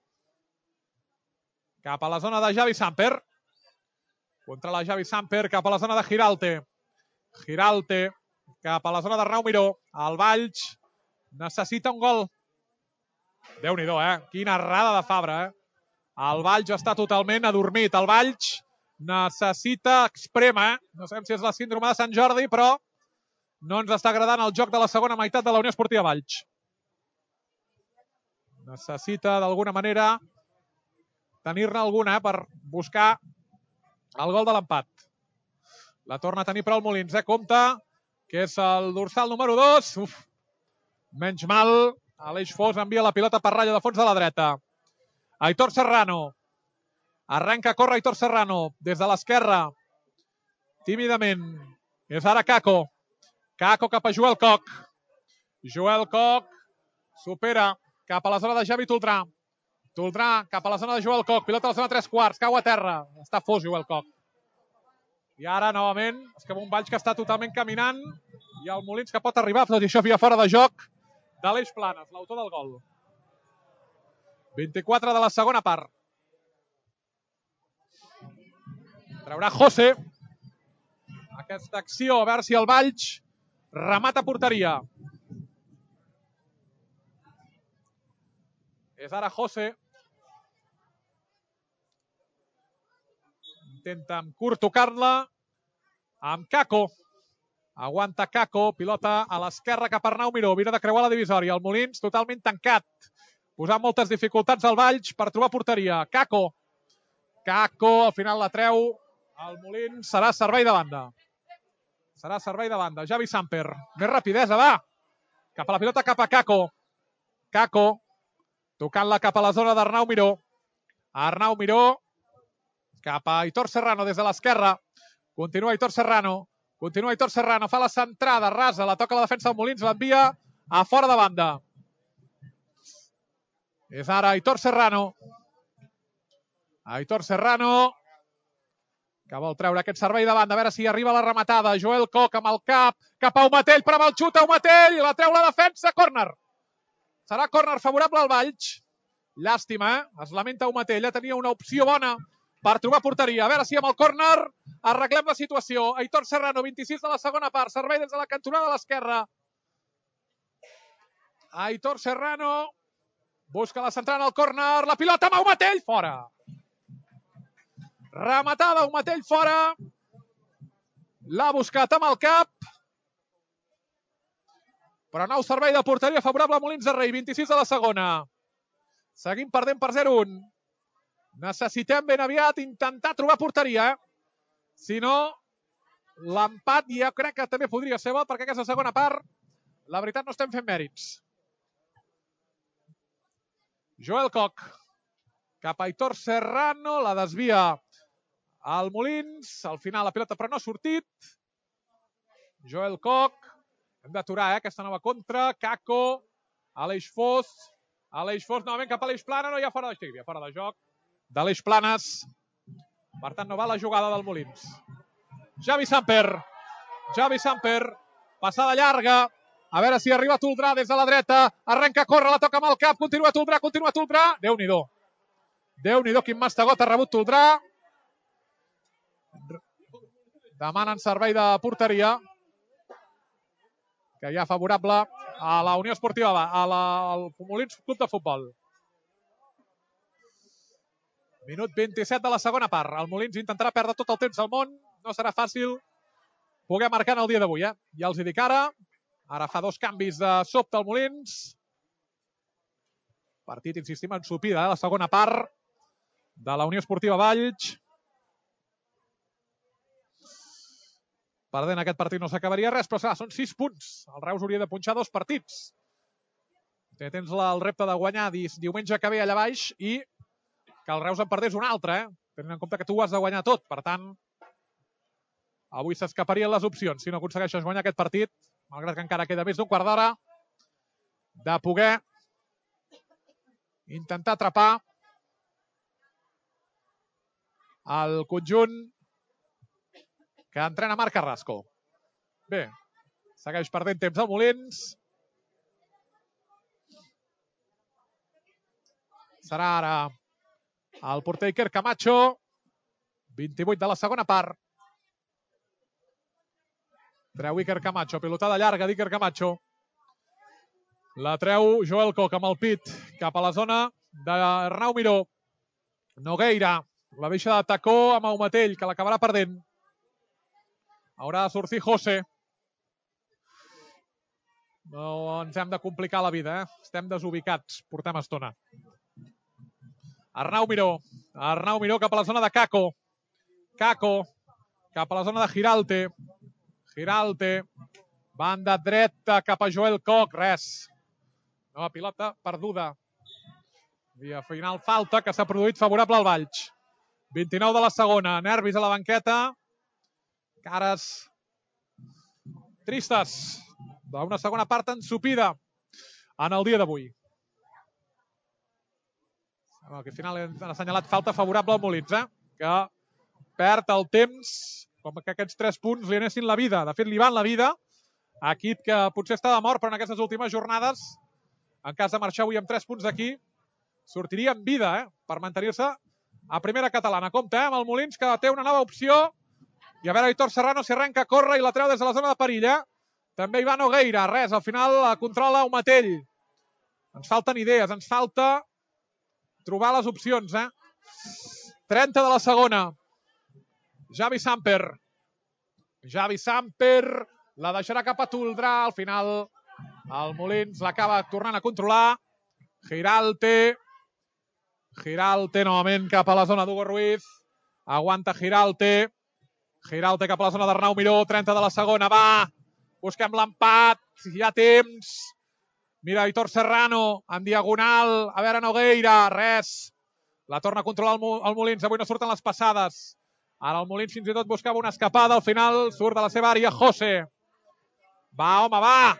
cap a la zona de Javi Samper. Contra la Javi Samper cap a la zona de Giralte. Giralte cap a la zona d'Arnau Miró. El Valls necessita un gol. Déu-n'hi-do, Quina errada de Fabra, El Valls està totalment adormit. El Valls necessita exprema, No sabem si és la síndrome de Sant Jordi, però no ens està agradant el joc de la segona meitat de la Unió Esportiva Valls. Necessita, d'alguna manera, tenir-ne alguna per buscar el gol de l'empat. La torna a tenir però el Molins, Compte, que és el dorsal número 2. Menys mal, Aleix Fos envia la pilota per ratlla de fons de la dreta. Aitor Serrano. Arrenca a córrer Aitor Serrano des de l'esquerra. Tímidament. És ara Caco. Caco cap a Joel Koch. Joel Koch supera cap a la zona de Javi Toldrà. Toldrà cap a la zona de Joel Koch. Pilota a la zona 3/4. Cau a terra. Està fos Joel Koch. I ara, novament, és que un Valls que està totalment caminant i el Molins que pot arribar, tot i això via fora de joc, d'Aleix Planes, l'autor del gol. 24 de la segona part. Traurà José. Aquesta acció, a veure si el Valls remata porteria. És ara José. Intenta amb curt tocar-la. Amb Caco. Aguanta Caco. Pilota a l'esquerra cap a Arnau Miró. Vira de creuar la divisòria. El Molins totalment tancat. Posant moltes dificultats al Valls per trobar porteria. Caco. Caco al final la treu. El Molins serà servei de banda. Serà servei de banda. Javi Samper. Més rapidesa, va. Cap a la pilota, cap a Caco. Caco. Tocant-la cap a la zona d'Arnau Miró. Arnau Miró. Cap a Aitor Serrano des de l'esquerra. Continua Aitor Serrano. Continua Aitor Serrano. Fa la centrada rasa. La toca la defensa del Molins. L'envia a fora de banda. És ara Aitor Serrano. Aitor Serrano. Que vol treure aquest servei de banda. A veure si arriba la rematada. Joel Koch amb el cap. Cap a Aumatell. Prova el xut a Aumatell. La treu la defensa. Córner. Serà córner favorable al Valls. Llàstima, Es lamenta Aumatell. Tenia una opció bona per trobar porteria. A veure si amb el córner arreglem la situació. Aitor Serrano, 26 de la segona part. Servei des de la cantonada de l'esquerra. Aitor Serrano. Busca la centrada en el córner. La pilota amb Aumatell. Fora. Rematada, Aumatell fora. L'ha buscat amb el cap. Però nou servei de porteria favorable a Molins de Rei. 26 de la segona. Seguim perdent per 0-1. Necessitem ben aviat intentar trobar porteria. Si no, l'empat ja crec que també podria ser bo, perquè aquesta segona part, la veritat, no estem fent mèrits. Joel Koch. Cap a Aitor Serrano. La desvia al Molins. Al final la pilota però no ha sortit. Joel Koch. Hem d'aturar aquesta nova contra. Kako. Aleix Fos. Aleix Fos novament cap a l'Eix Plana. No hi ha fora de joc. De l'Eix Planes. Per tant, no va la jugada del Molins. Javi Samper. Javi Samper. Passada llarga. A veure si arriba Toldrà des de la dreta. Arrenca a córrer, la toca amb el cap. Continua Toldrà, continua Toldrà. Déu-n'hi-do. Déu-n'hi-do, quin mastegot ha rebut Toldrà. Demanen servei de porteria. Que hi ha favorable a la Unió Esportiva, al Molins Club de Futbol. Minut 27 de la segona part. El Molins intentarà perdre tot el temps del món. No serà fàcil poder marcar en el dia d'avui. Ja els hi dic ara. Ara fa 2 canvis de sobte al Molins. Partit, insistim, ensopida, la segona part de la Unió Esportiva Valls. Perdent aquest partit no s'acabaria res, però són 6 punts. El Reus hauria de punxar 2 partits. Tens el repte de guanyar diumenge que ve allà baix i que el Reus en perdés un altre, tenint en compte que tu ho has de guanyar tot. Per tant, avui s'escaparien les opcions. Si no aconsegueixes guanyar aquest partit, malgrat que encara queda més d'un quart d'hora, de poder intentar atrapar el conjunt que entrena Marc Carrasco. Bé, segueix perdent temps al Molins. Serà ara el porter Iker Camacho. 28 de la segona part. Treu Iker Camacho, pilotada llarga d'Iker Camacho. La treu Joel Koch amb el pit cap a la zona d'Arnau Miró. Nogueira, la deixa de tacó amb Aumatell, que l'acabarà perdent. Haurà de sortir José. No ens hem de complicar la vida, Estem desubicats, portem estona. Arnau Miró. Arnau Miró cap a la zona de Kako. Kako cap a la zona de Giralte. Giralte. Banda dreta cap a Joel Koch. Res. Nova pilota perduda. Via final falta que s'ha produït favorable al Valls. 29 de la segona. Nervis a la banqueta. Cares tristes d'una segona part ensopida en el dia d'avui. Al final han assenyalat falta favorable al Molins, que perd el temps com que aquests 3 punts li anessin la vida. De fet, li van la vida a equip que potser està de mort, però en aquestes últimes jornades, en cas de marxar avui amb 3 punts d'aquí, sortiria amb vida per mantenir-se a primera catalana. Compte amb el Molins, que té una nova opció. I a veure, Aitor Serrano s'hi arrenca a córrer i la treu des de la zona de perill. També hi va Nogueira. Res, al final la controla Aumatell. Ens falten idees, ens falta trobar les opcions. 30 de la segona. Javi Samper. Javi Samper la deixarà cap a Toldrà. Al final el Molins l'acaba tornant a controlar. Giralte. Giralte novament cap a la zona d'Hugo Ruiz. Aguanta Giralte. Giralte cap a la zona d'Arnau Miró. 30 de la segona. Va. Busquem l'empat. Hi ha temps. Mira, Aitor Serrano en diagonal. A veure, Nogueira. Res. La torna a controlar el Molins. Avui no surten les passades. Ara el Molins fins i tot buscava una escapada. Al final surt de la seva àrea José. Va, home, va.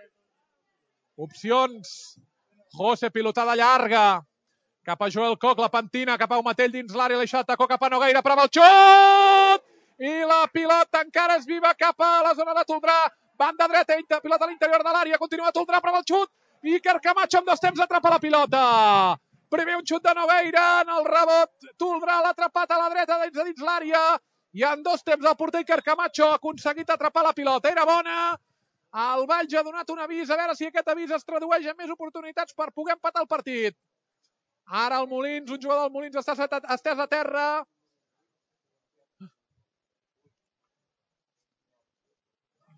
Opcions. José, pilotada llarga. Cap a Joel Koch, la pentina. Cap a Aumatell dins l'àrea. L'Eixat tacó cap a Nogueira. Prova el xut! I la pilota encara és viva cap a la zona de Toldrà. Banda dreta, pilota a l'interior de l'àrea. Continua Toldrà, prova el xut. Iker Camacho amb 2 temps atrapa la pilota. Primer un xut de Nogueira en el rebot. Toldrà l'ha atrapat a la dreta dins l'àrea. I en 2 temps el porter Iker Camacho ha aconseguit atrapar la pilota. Era bona. El Valls ha donat un avís. A veure si aquest avís es tradueix en més oportunitats per poder empatar el partit. Ara el Molins, un jugador del Molins està estès a terra.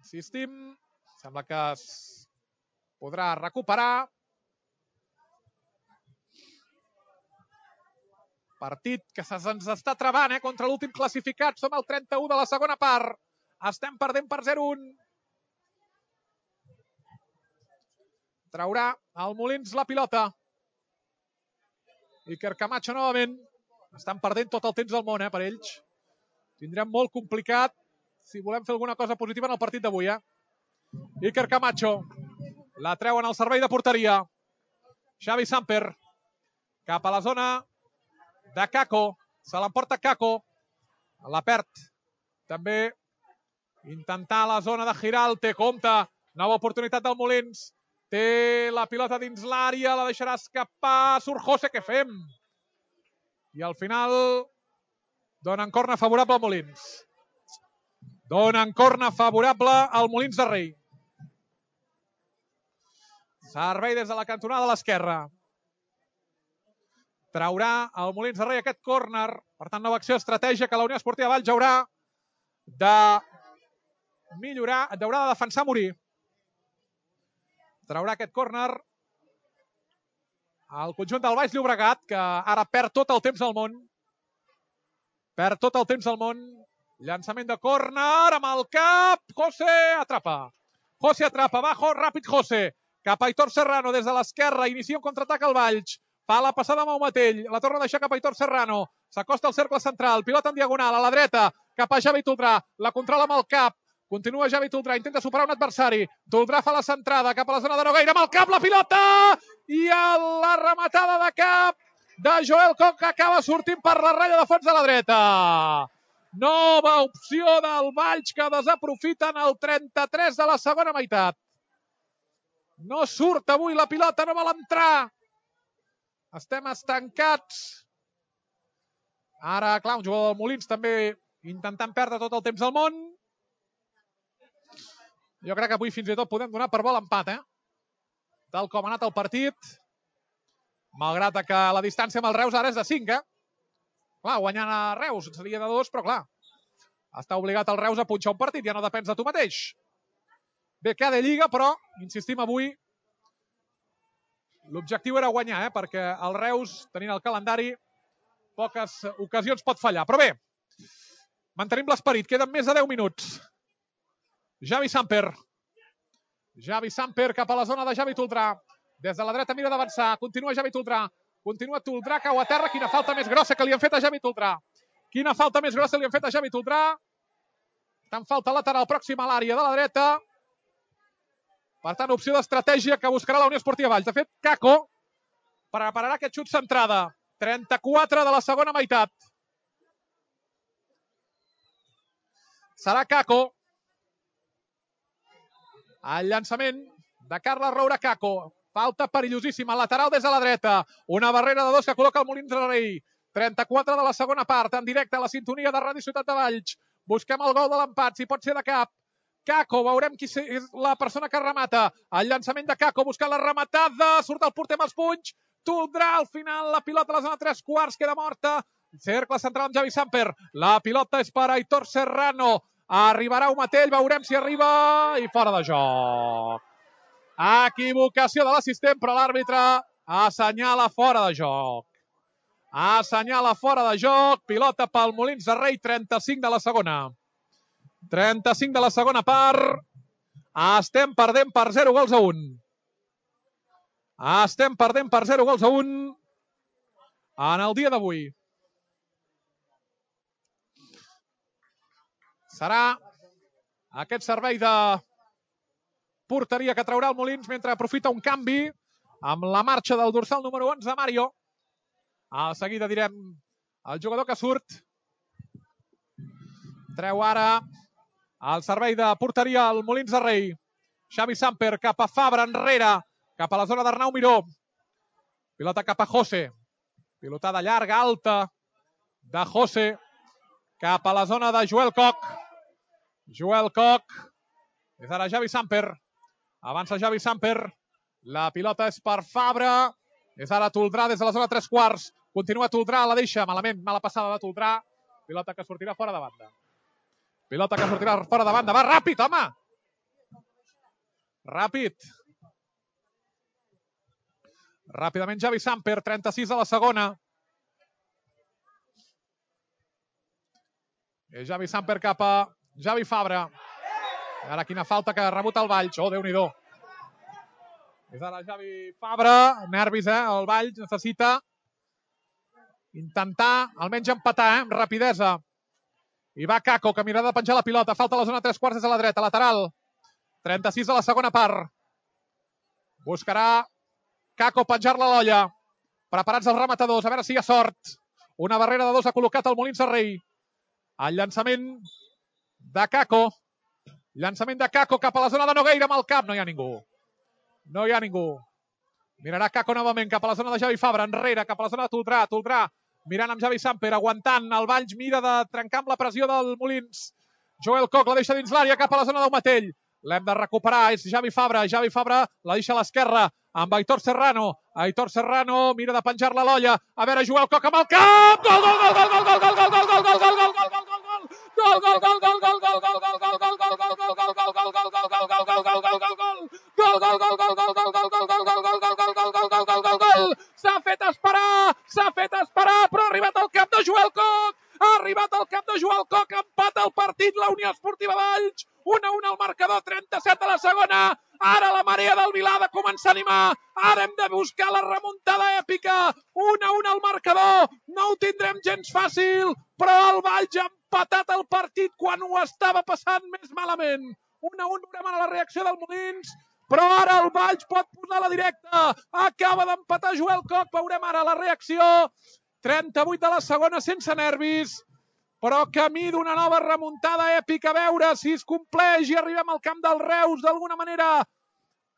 Insistim, sembla que es podrà recuperar. Partit que se'ns està travant contra l'últim classificat. Som al 31 de la segona part. Estem perdent per 0-1. Traurà el Molins la pilota. Iker Camacho novament. Estan perdent tot el temps del món per ells. Tindrem molt complicat si volem fer alguna cosa positiva en el partit d'avui. Iker Camacho. La treuen al servei de porteria. Xavi Samper. Cap a la zona de Kako. Se l'emporta Kako. La perd. També intentar la zona de Giralte. Compte. Nova oportunitat del Molins. Té la pilota dins l'àrea. La deixarà escapar. Surt José. Què fem? I al final donen corna favorable al Molins. Donen corna favorable al Molins de Rei. Servei des de la cantonada de l'esquerra. Traurà el Molins de Rei aquest córner. Per tant, nova acció estratègia que la Unió Esportiva Valls haurà de millorar, haurà de defensar a morir. Traurà aquest córner el conjunt del Baix Llobregat, que ara perd tot el temps del món. Perd tot el temps del món. Llançament de córner amb el cap. José atrapa. José atrapa. Bajo, ràpid José. Cap a Aitor Serrano des de l'esquerra. Inicia un contraatac al Valls. Fa la passada amb el Matell. La torna a deixar cap a Aitor Serrano. S'acosta al cercle central. Pilota en diagonal a la dreta. Cap a Javi Toldrà. La controla amb el cap. Continua Javi Toldrà. Intenta superar un adversari. Toldrà fa la centrada cap a la zona de Nogueira. Amb el cap la pilota. I la rematada de cap de Joel Koch, que acaba sortint per la ratlla de fons de la dreta. Nova opció del Valls que desaprofiten el 33 de la segona meitat. No surt avui la pilota, no vol entrar. Estem estancats. Ara, clar, un jugador del Molins també intentant perdre tot el temps del món. Jo crec que avui fins i tot podem donar per bo l'empat, tal com ha anat el partit. Malgrat que la distància amb el Reus ara és de 5, Clar, guanyant a Reus seria de 2, però clar, està obligat el Reus a punxar un partit, ja no depens de tu mateix. Bé, queda Lliga, però, insistim avui, l'objectiu era guanyar, perquè el Reus, tenint el calendari, poques ocasions pot fallar. Però bé, mantenim l'esperit, queden més de 10 minuts. Javi Samper. Javi Samper cap a la zona de Javi Toldrà. Des de la dreta mira d'avançar. Continua Javi Toldrà. Continua Toldrà, cau a terra. Quina falta més grossa que li han fet a Javi Toldrà. Quina falta més grossa li han fet a Javi Toldrà. Tant falta lateral pròxima a l'àrea de la dreta. Per tant, opció d'estratègia que buscarà la Unió Esportiva Valls. De fet, Kako prepararà aquest xut centrada. 34 de la segona meitat. Serà Kako. El llançament de Carles Roura. Kako. Falta perillosíssima. Lateral des de la dreta. Una barrera de 2 que col·loca el Molins de Rei. 34 de la segona part. En directe a la sintonia de Ràdio Ciutat de Valls. Busquem el gol de l'empat. Si pot ser de cap. Kako. Veurem qui és la persona que remata. El llançament de Kako. Buscant la rematada. Surt el porter amb els punys. Toldrà al final. La pilota a la zona 3/4. Queda morta. Cercle central amb Javi Samper. La pilota és per Aitor Serrano. Arribarà Umatell, veurem si arriba i fora de joc. Equivocació de l'assistent, però l'àrbitre assenyala fora de joc. Assenyala fora de joc. Pilota pel Molins de Rei, 35 de la segona. 35 de la segona part. Estem perdent per 0-1. Estem perdent per 0-1 en el dia d'avui. Serà aquest servei de porteria que traurà el Molins mentre aprofita un canvi amb la marxa del dorsal número 11, Mario. A seguida direm el jugador que surt. Treu ara el servei de porteria al Molins de Rei. Xavi Samper cap a Fabra enrere, cap a la zona d'Arnau Miró. Pilota cap a José. Pilotada llarga, alta de José cap a la zona de Joel Koch. Joel Koch. És ara Javi Samper. Avança Javi Samper. La pilota és per Fabra. És ara Toldrà des de la zona 3/4. Continua Toldrà, la deixa malament. Mala passada de Toldrà. Pilota que sortirà fora de banda. Pilota que sortirà fora de banda. Va ràpid, home! Ràpid. Ràpidament Javi Samper, 36 a la segona. Javi Samper cap a Javi Fabra. Ara quina falta que ha rebut el Valls. Oh, Déu-n'hi-do. És ara Javi Fabra. Nervis, el Valls necessita intentar almenys empatar, amb rapidesa. I va Kako, que mirarà de penjar la pilota. Falta a la zona 3/4 des a la dreta, lateral. 36 a la segona part. Buscarà Kako penjar-la a l'olla. Preparats els rematadors, a veure si hi ha sort. Una barrera de 2 ha col·locat el Molins de Rei. El llançament de Kako. Llançament de Kako cap a la zona de Nogueira amb el cap. No hi ha ningú. No hi ha ningú. Mirarà Kako novament cap a la zona de Javi Fabra. Enrere, cap a la zona de Toldrà. Toldrà mirant amb Javi Samper, aguantant. El Valls mira de trencar amb la pressió del Molins. Joel Koch la deixa dins l'àrea cap a la zona d'Aumatell. L'hem de recuperar, és Javi Fabra. Javi Fabra la deixa a l'esquerra amb Aitor Serrano. Aitor Serrano mira de penjar-la a l'olla. A veure, Joel Koch amb el cap. Gol, gol, gol, gol, gol, gol, gol, gol, gol, gol, gol, gol, gol, gol, gol, s'ha fet esperar, però ha arribat al cap de Joel Koch. Ha arribat al cap de Joel Koch, empata el partit la Unió Esportiva Valls. 1-1 al marcador, 37 a la segona. Ara la marea del Vilà ha de començar a animar. Ara hem de buscar la remuntada èpica. 1-1 al marcador. No ho tindrem gens fàcil, però el Valls ha empatat el partit quan ho estava passant més malament. 1-1, veurem ara la reacció del Molins, però ara el Valls pot posar la directa. Acaba d'empatar Joel Koch, veurem ara la reacció. 38 de la segona, sense nervis, però camí d'una nova remuntada èpica. A veure si es compleix i arribem al camp del Reus d'alguna manera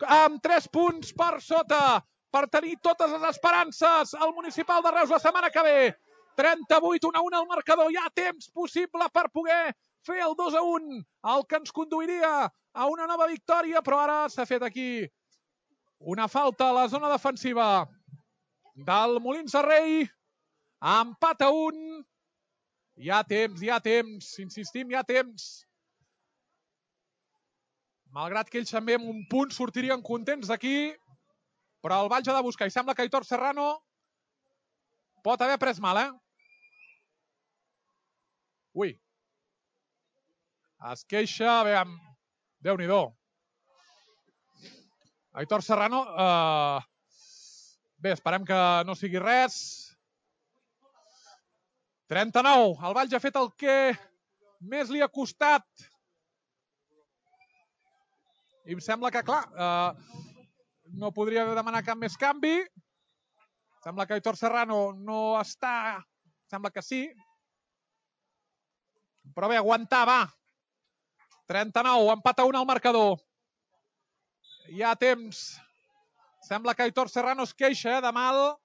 amb 3 punts per sota per tenir totes les esperances al Municipal de Reus la setmana que ve. 38, 1-1 al marcador. Hi ha temps possible per poder fer el 2-1, el que ens conduiria a una nova victòria, però ara s'ha fet aquí una falta a la zona defensiva del Molins de Rei. Empat a 1. Hi ha temps, insistim, hi ha temps. Malgrat que ells també amb un punt sortirien contents d'aquí, però el Valls ha de buscar i sembla que Aitor Serrano pot haver pres mal, Ui. Es queixa, veiem, Déu-n'hi-do. Aitor Serrano, bé, esperem que no sigui res. 39, el Valls ha fet el que més li ha costat. I em sembla que, clar, no podria demanar cap més canvi. Sembla que Aitor Serrano no està... Sembla que sí. Però bé, aguantar, va. 39, empat a 1 al marcador. Hi ha temps. Sembla que Aitor Serrano es queixa de mal.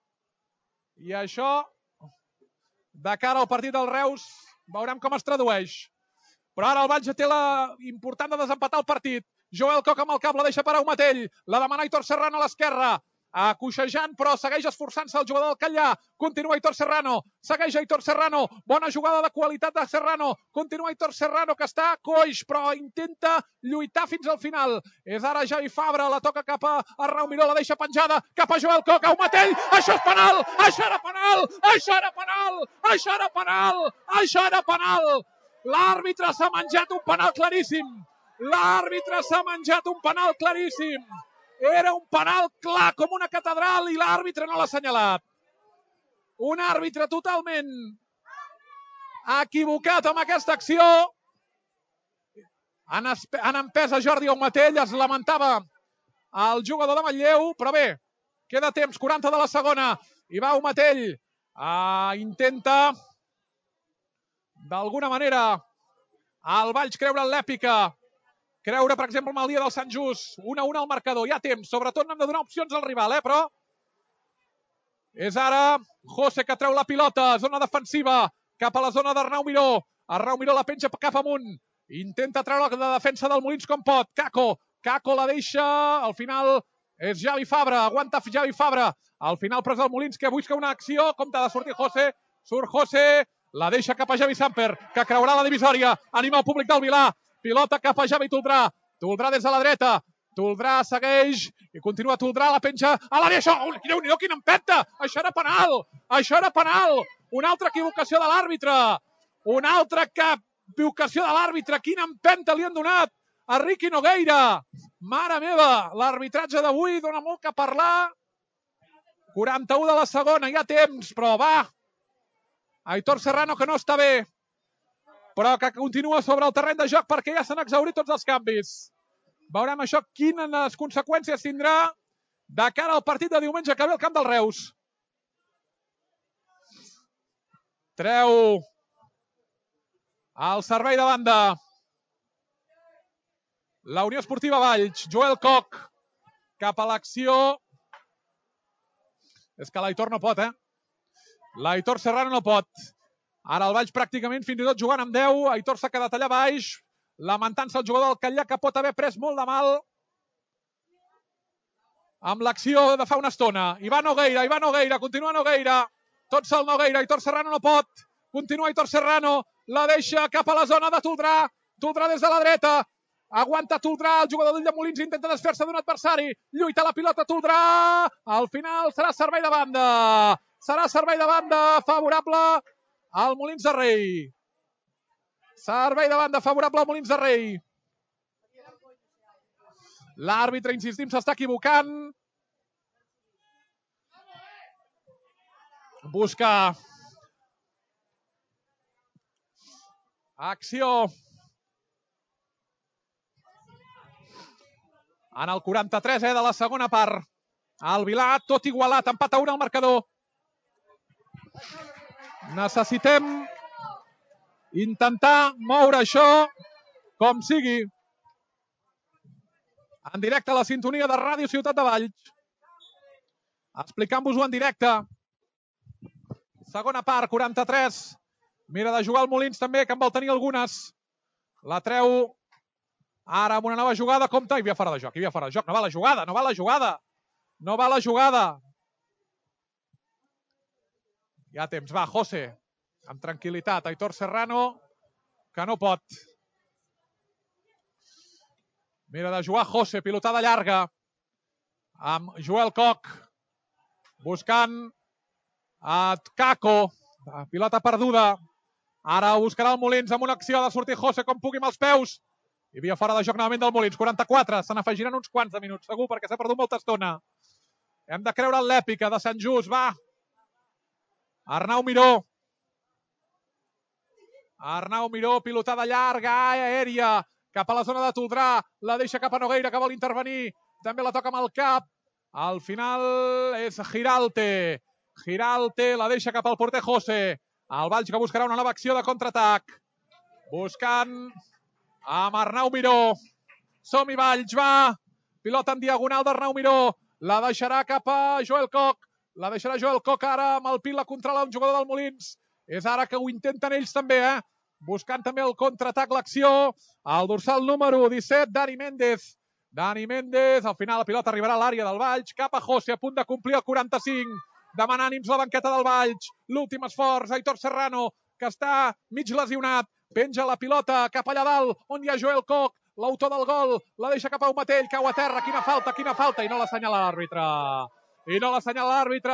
I això, de cara al partit del Reus, veurem com es tradueix. Però ara el Valls té la important de desempatar el partit. Joel Koch amb el cap, la deixa per Aumatell. La demana Aitor Serrano a l'esquerra. Coixejant, però segueix esforçant-se el jugador del Catllà. Continua Aitor Serrano. Segueix Aitor Serrano. Bona jugada de qualitat de Serrano. Continua Aitor Serrano, que està coix, però intenta lluitar fins al final. És ara Javi Fabra, la toca cap a Arnau Miró, la deixa penjada cap a Joel Koch. Aumatell, això és penal! Això era penal! Això era penal! Això era penal! Això era penal! L'àrbitre s'ha menjat un penal claríssim. L'àrbitre s'ha menjat un penal claríssim. Era un penal clar com una catedral i l'àrbitre no l'ha assenyalat. Un àrbitre totalment equivocat amb aquesta acció. Han empès a Jordi Aumatell, es lamentava el jugador de Manlleu, però bé, queda temps, 40 de la segona, i va Aumatell, intenta d'alguna manera el Valls creure en l'èpica, creure, per exemple, en el dia del Sant Just. 1-1 al marcador, hi ha temps. Sobretot no hem de donar opcions al rival, però és ara José que treu la pilota, zona defensiva, cap a la zona d'Arnau Miró. Arnau Miró la penja cap amunt. Intenta treure la defensa del Molins com pot. Kako la deixa. Al final és Javi Fabra. Aguanta Javi Fabra. Al final pres el Molins que busca una acció. Com t'ha de sortir José. Surt José. La deixa cap a Javi Samper, que creurà la divisòria. Anima el públic del Vilà. Pilota cap a Javi Toldrà. Toldrà des de la dreta. Toldrà segueix i continua Toldrà, la penja a l'àrea. Això, Déu-n'hi-do, quina empenta! Això era penal! Això era penal! Una altra equivocació de l'àrbitre! Una altra equivocació de l'àrbitre! Quina empenta li han donat a Riqui Nogueira! Mare meva, l'arbitratge d'avui dona molt que parlar. 41 de la segona, hi ha temps, però va! Aitor Serrano, que no està bé, però que continua sobre el terreny de joc perquè ja s'han exhaurit tots els canvis. Veurem això, quines conseqüències tindrà de cara al partit de diumenge que ve al camp del Reus. Treu el servei de banda la Unió Esportiva Valls. Joel Koch cap a l'acció. És que l'Aitor no pot, L'Aitor Serrano no pot. Ara el Valls pràcticament fins i tot jugant amb 10. Aitor s'ha quedat allà baix, lamentant-se el jugador del Catllà, que pot haver pres molt de mal amb l'acció de fa una estona. Ivan Nogueira, continua Nogueira. Tot sol Nogueira, Aitor Serrano no pot. Continua Aitor Serrano, la deixa cap a la zona de Toldrà. Toldrà des de la dreta. Aguanta Toldrà, el jugador d'Ull de Molins intenta desfer-se d'un adversari. Lluita la pilota Toldrà. Al final serà servei de banda. Serà servei de banda favorable al Molins de Rei. Servei de banda favorable al Molins de Rei. L'àrbitre, insistim, s'està equivocant. Busca acció en el 43 de la segona part. El Vilà, tot igualat, empat a 1 al marcador. Necessitem intentar moure això com sigui. En directe a la sintonia de Ràdio Ciutat de Valls. Explicant-vos-ho en directe. Segona part, 43. Mira de jugar el Molins també, que en vol tenir algunes. La treu ara amb una nova jugada. Compte, hi havia fora de joc, No va la jugada, no va la jugada. Hi ha temps, va, José. Amb tranquil·litat, Aitor Serrano, que no pot. Mira de jugar José, pilotada llarga. Amb Joel Koch. Buscant a Caco. Pilota perduda. Ara buscarà el Molins amb una acció de sortir José com pugui amb els peus. Hi havia fora de joc novament del Molins. 44. Se n'afegiran uns quants de minuts, segur, perquè s'ha perdut molta estona. Hem de creure en l'èpica de Sant Just. Va. Arnau Miró. Arnau Miró, pilotada llarga, aèria, cap a la zona de Toldrà. La deixa cap a Nogueira, que vol intervenir. També la toca amb el cap. Al final és Giralte. Giralte la deixa cap al porter José. El Valls que buscarà una nova acció de contraatac. Buscant amb Arnau Miró. Som-hi, Valls, va. Pilota en diagonal d'Arnau Miró. La deixarà cap a Joel Koch. La deixarà Joel Koch ara amb el pil, la controla un jugador del Molins. És ara que ho intenten ells també, Buscant també el contraatac, l'acció. El dorsal número 17, Dani Méndez. Dani Méndez, al final la pilota arribarà a l'àrea del Valls, cap a José, a punt de complir el 45. Demana ànims la banqueta del Valls. L'últim esforç, Aitor Serrano, que està mig lesionat. Penja la pilota cap allà dalt, on hi ha Joel Koch, l'autor del gol. La deixa cap a un Matell, cau a terra. Quina falta. I no l'assenyala l'àrbitre.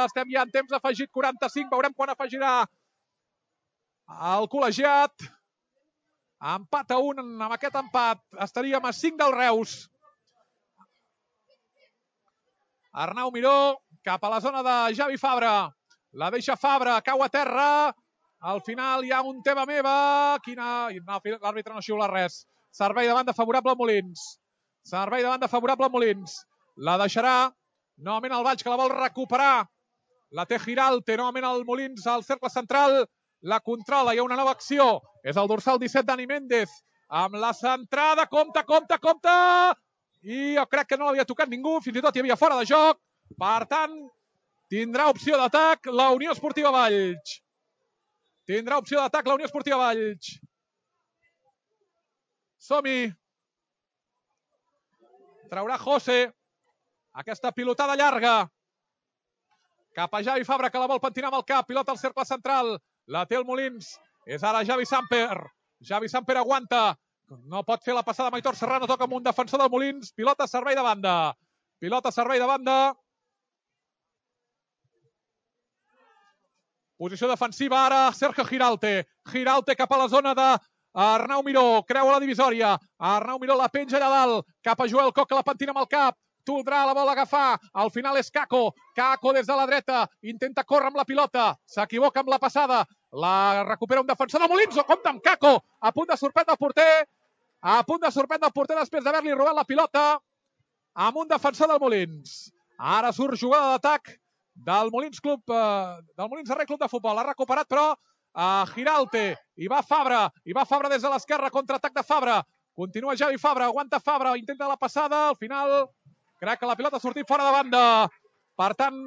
Estem ja en temps afegit, 45. Veurem quan afegirà el col·legiat. Empat a 1. Amb aquest empat estaríem a 5 del Reus. Arnau Miró cap a la zona de Javi Fabra. La deixa Fabra, cau a terra. Al final hi ha un tema meva. L'àrbitre no xiula res. Servei de banda favorable a Molins. La deixarà novament el Valls, que la vol recuperar. La té Giralte, novament el Molins al cercle central. La controla, hi ha una nova acció. És el dorsal 17, Dani Méndez. Amb la centrada, compte. I jo crec que no l'havia tocat ningú, fins i tot hi havia fora de joc. Per tant, tindrà opció d'atac la Unió Esportiva Valls. Som-hi. Traurà José. Aquesta pilotada llarga. Cap a Javi Fabra, que la vol pentinar amb el cap. Pilota al cercle central. La té el Molins. És ara Javi Samper. Javi Samper aguanta. No pot fer la passada amb Aitor Serrano, toca amb un defensor del Molins, pilota servei de banda. Pilota servei de banda. Posició defensiva ara, Sergio Giralte. Giralte cap a la zona de Arnau Miró, creua la divisòria. Arnau Miró la penja allà dalt, cap a Joel Coc, que la pentina amb el cap. Toldrà la bola a agafar, al final és Kako. Kako des de la dreta, intenta córrer amb la pilota, s'equivoca amb la passada, la recupera un defensor del Molins, o compta amb Kako, a punt de sorprendre el porter, després d'haver-li robat la pilota amb un defensor del Molins. Ara surt jugada d'atac del Molins Club, del Molins Arrer Club de Futbol. L'ha recuperat, però, Giralte. I va Fabra des de l'esquerra, contraatac de Fabra. Continua Javi Fabra, aguanta Fabra, intenta la passada, al final crec que la pilota ha sortit fora de banda. Per tant,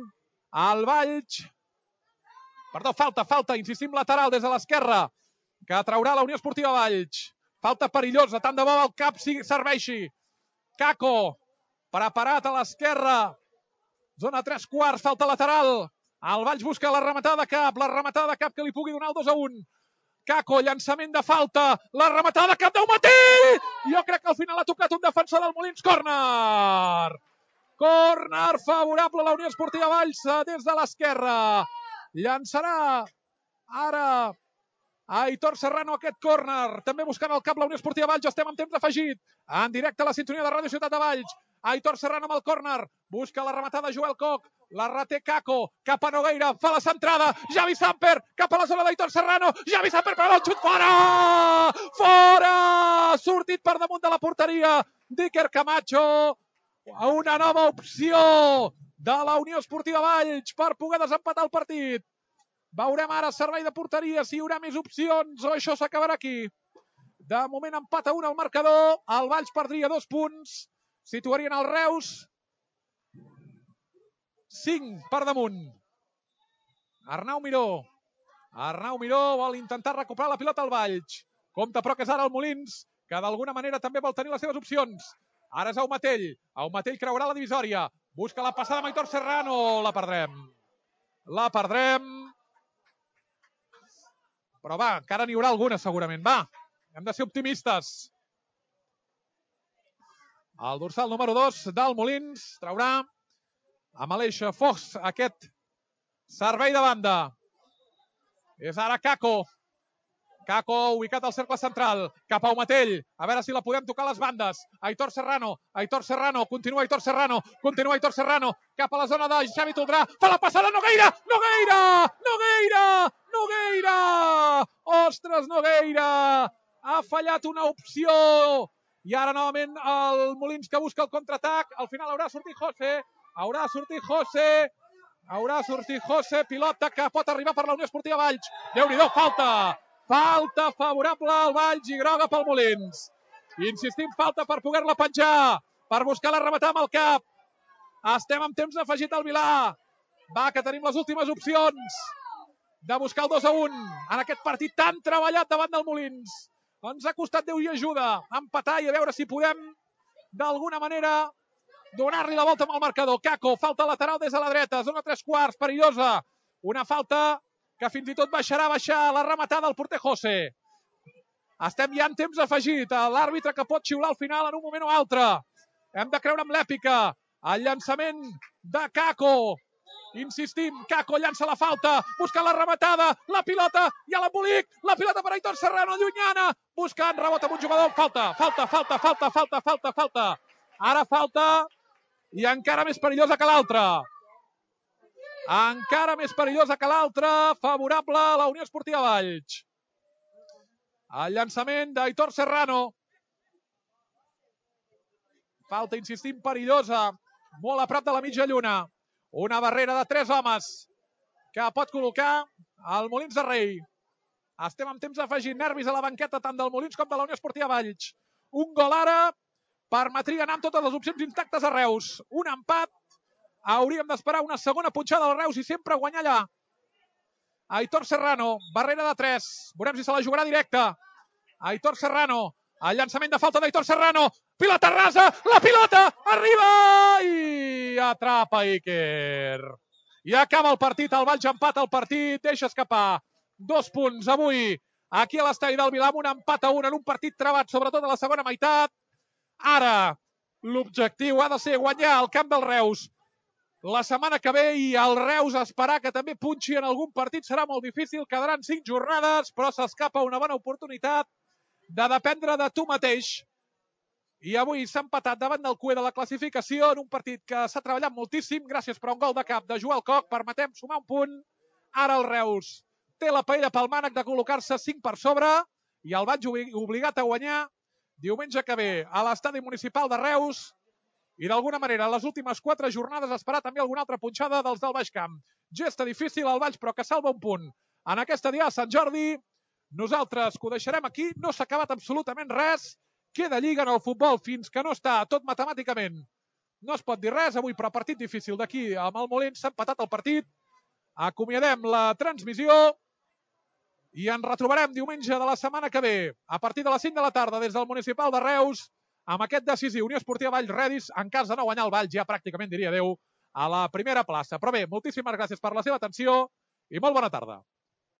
el Valls... Perdó, falta, insistim, lateral des de l'esquerra, que traurà la Unió Esportiva Valls. Falta perillosa, tant de bo el cap serveixi. Kako, preparat a l'esquerra. Zona 3/4, falta lateral. El Valls busca la rematada de cap que li pugui donar el 2-1. Kako, llançament de falta, la rematada de cap d'Aumatell! Jo crec que al final ha tocat un defensor del Molins, córner! Córner favorable a la Unió Esportiva Valls des de l'esquerra. Llançarà ara Aitor Serrano aquest córner. També buscant el cap la Unió Esportiva Valls. Estem en temps afegit. En directe a la sintonia de Ràdio Ciutat de Valls. Aitor Serrano amb el córner. Busca la rematada Joel Coc. La reté Kako. Cap a Nogueira. Fa la centrada. Javi Samper. Cap a la zona d'Aitor Serrano. Javi Samper per el xut. Fora! Fora! Sortit per damunt de la porteria d'Iker Camacho. Una nova opció de la Unió Esportiva Valls per poder desempatar el partit. Veurem ara servei de porteria si hi haurà més opcions o això s'acabarà aquí. De moment empat a 1 al marcador. El Valls perdria 2 punts. Situarien el Reus 5 per damunt. Arnau Miró vol intentar recuperar la pilota al Valls. Compte però que és ara el Molins, que d'alguna manera també vol tenir les seves opcions. Ara és Aumatell. Aumatell creurà la divisòria. Busca la passada amb Aitor Serrano. La perdrem. Però va, encara n'hi haurà alguna segurament. Va, hem de ser optimistes. El dorsal número 2 del Molins traurà amb Aleix Fox aquest servei de banda. És ara Kako. Kako ubicat al cercle central. Cap a Aumatell. A veure si la podem tocar a les bandes. Aitor Serrano. Continua Aitor Serrano. Cap a la zona de Xavi Toldrà. Fa la passada Nogueira. Ostres, Nogueira. Ha fallat una opció. I ara novament el Molins que busca el contraatac. Al final haurà sortit José. Pilota que pot arribar per la Unió Esportiva Valls. Déu-n'hi-do, falta favorable al Valls i groga pel Molins. Insistim, falta per poder-la penjar, per buscar la rematar amb el cap. Estem amb temps afegit al Vilà. Va, que tenim les últimes opcions de buscar el 2-1 en aquest partit tan treballat davant del Molins. Ens ha costat Déu i ajuda empatar i a veure si podem d'alguna manera donar-li la volta amb el marcador. Kako, falta lateral des de la dreta, zona 3/4, perillosa. Una falta que fins i tot baixarà la rematada del porter José. Estem ja en temps afegit. L'àrbitre que pot xiular al final en un moment o altre. Hem de creure amb l'èpica. El llançament de Kako. Insistim, Kako llança la falta, busca la rematada, la pilota i a l'embolic, la pilota per Aitor Serrano, llunyana, buscant rebot amb un jugador. Falta. Ara falta i encara més perillosa que l'altra. Favorable a la Unió Esportiva Valls. El llançament d'Aitor Serrano. Falta, insistim, perillosa, molt a prop de la mitja lluna. Una barrera de 3 homes que pot col·locar el Molins de Rei. Estem amb temps afegit, nervis a la banqueta tant del Molins com de la Unió Esportiva Valls. Un gol ara permetria anar amb totes les opcions intactes a Reus. Un empat. Hauríem d'esperar una segona punxada al Reus i sempre guanyar allà. Aitor Serrano, barrera de 3. Veurem si se la jugarà directa. Aitor Serrano, el llançament de falta d'Aitor Serrano. Pilota rasa, la pilota arriba i atrapa Iker. I acaba el partit, el Valls empata el partit, deixa escapar 2 punts avui aquí a l'estadi del Vilà, amb un empat a 1 en un partit trebat, sobretot a la segona meitat. Ara, l'objectiu ha de ser guanyar el camp del Reus la setmana que ve, i el Reus esperar que també punxi en algun partit serà molt difícil. Quedaran 5 jornades, però s'escapa una bona oportunitat de dependre de tu mateix. I avui s'ha empatat davant del CUE de la classificació en un partit que s'ha treballat moltíssim. Gràcies per un gol de cap de Joel Koch, permetem sumar un punt. Ara el Reus té la paella pel mànec de col·locar-se 5 per sobre i el vaig obligat a guanyar diumenge que ve a l'estadi municipal de Reus. I d'alguna manera, a les últimes 4 jornades esperar també alguna altra punxada dels del Baix Camp. Gesta difícil al Baix, però que salva un punt. En aquesta dia a Sant Jordi, nosaltres que ho deixarem aquí, no s'ha acabat absolutament res. Queda lliga en el futbol fins que no està tot matemàticament. No es pot dir res avui, però partit difícil d'aquí amb el Molins. S'ha empatat el partit. Acomiadem la transmissió i ens retrobarem diumenge de la setmana que ve, a partir de les 5 de la tarda, des del Municipal de Reus, amb aquest decisiu Unió Esportiva Valls Redis, en cas de no guanyar el Valls, ja pràcticament diria adeu a la primera plaça. Però bé, moltíssimes gràcies per la seva atenció i molt bona tarda.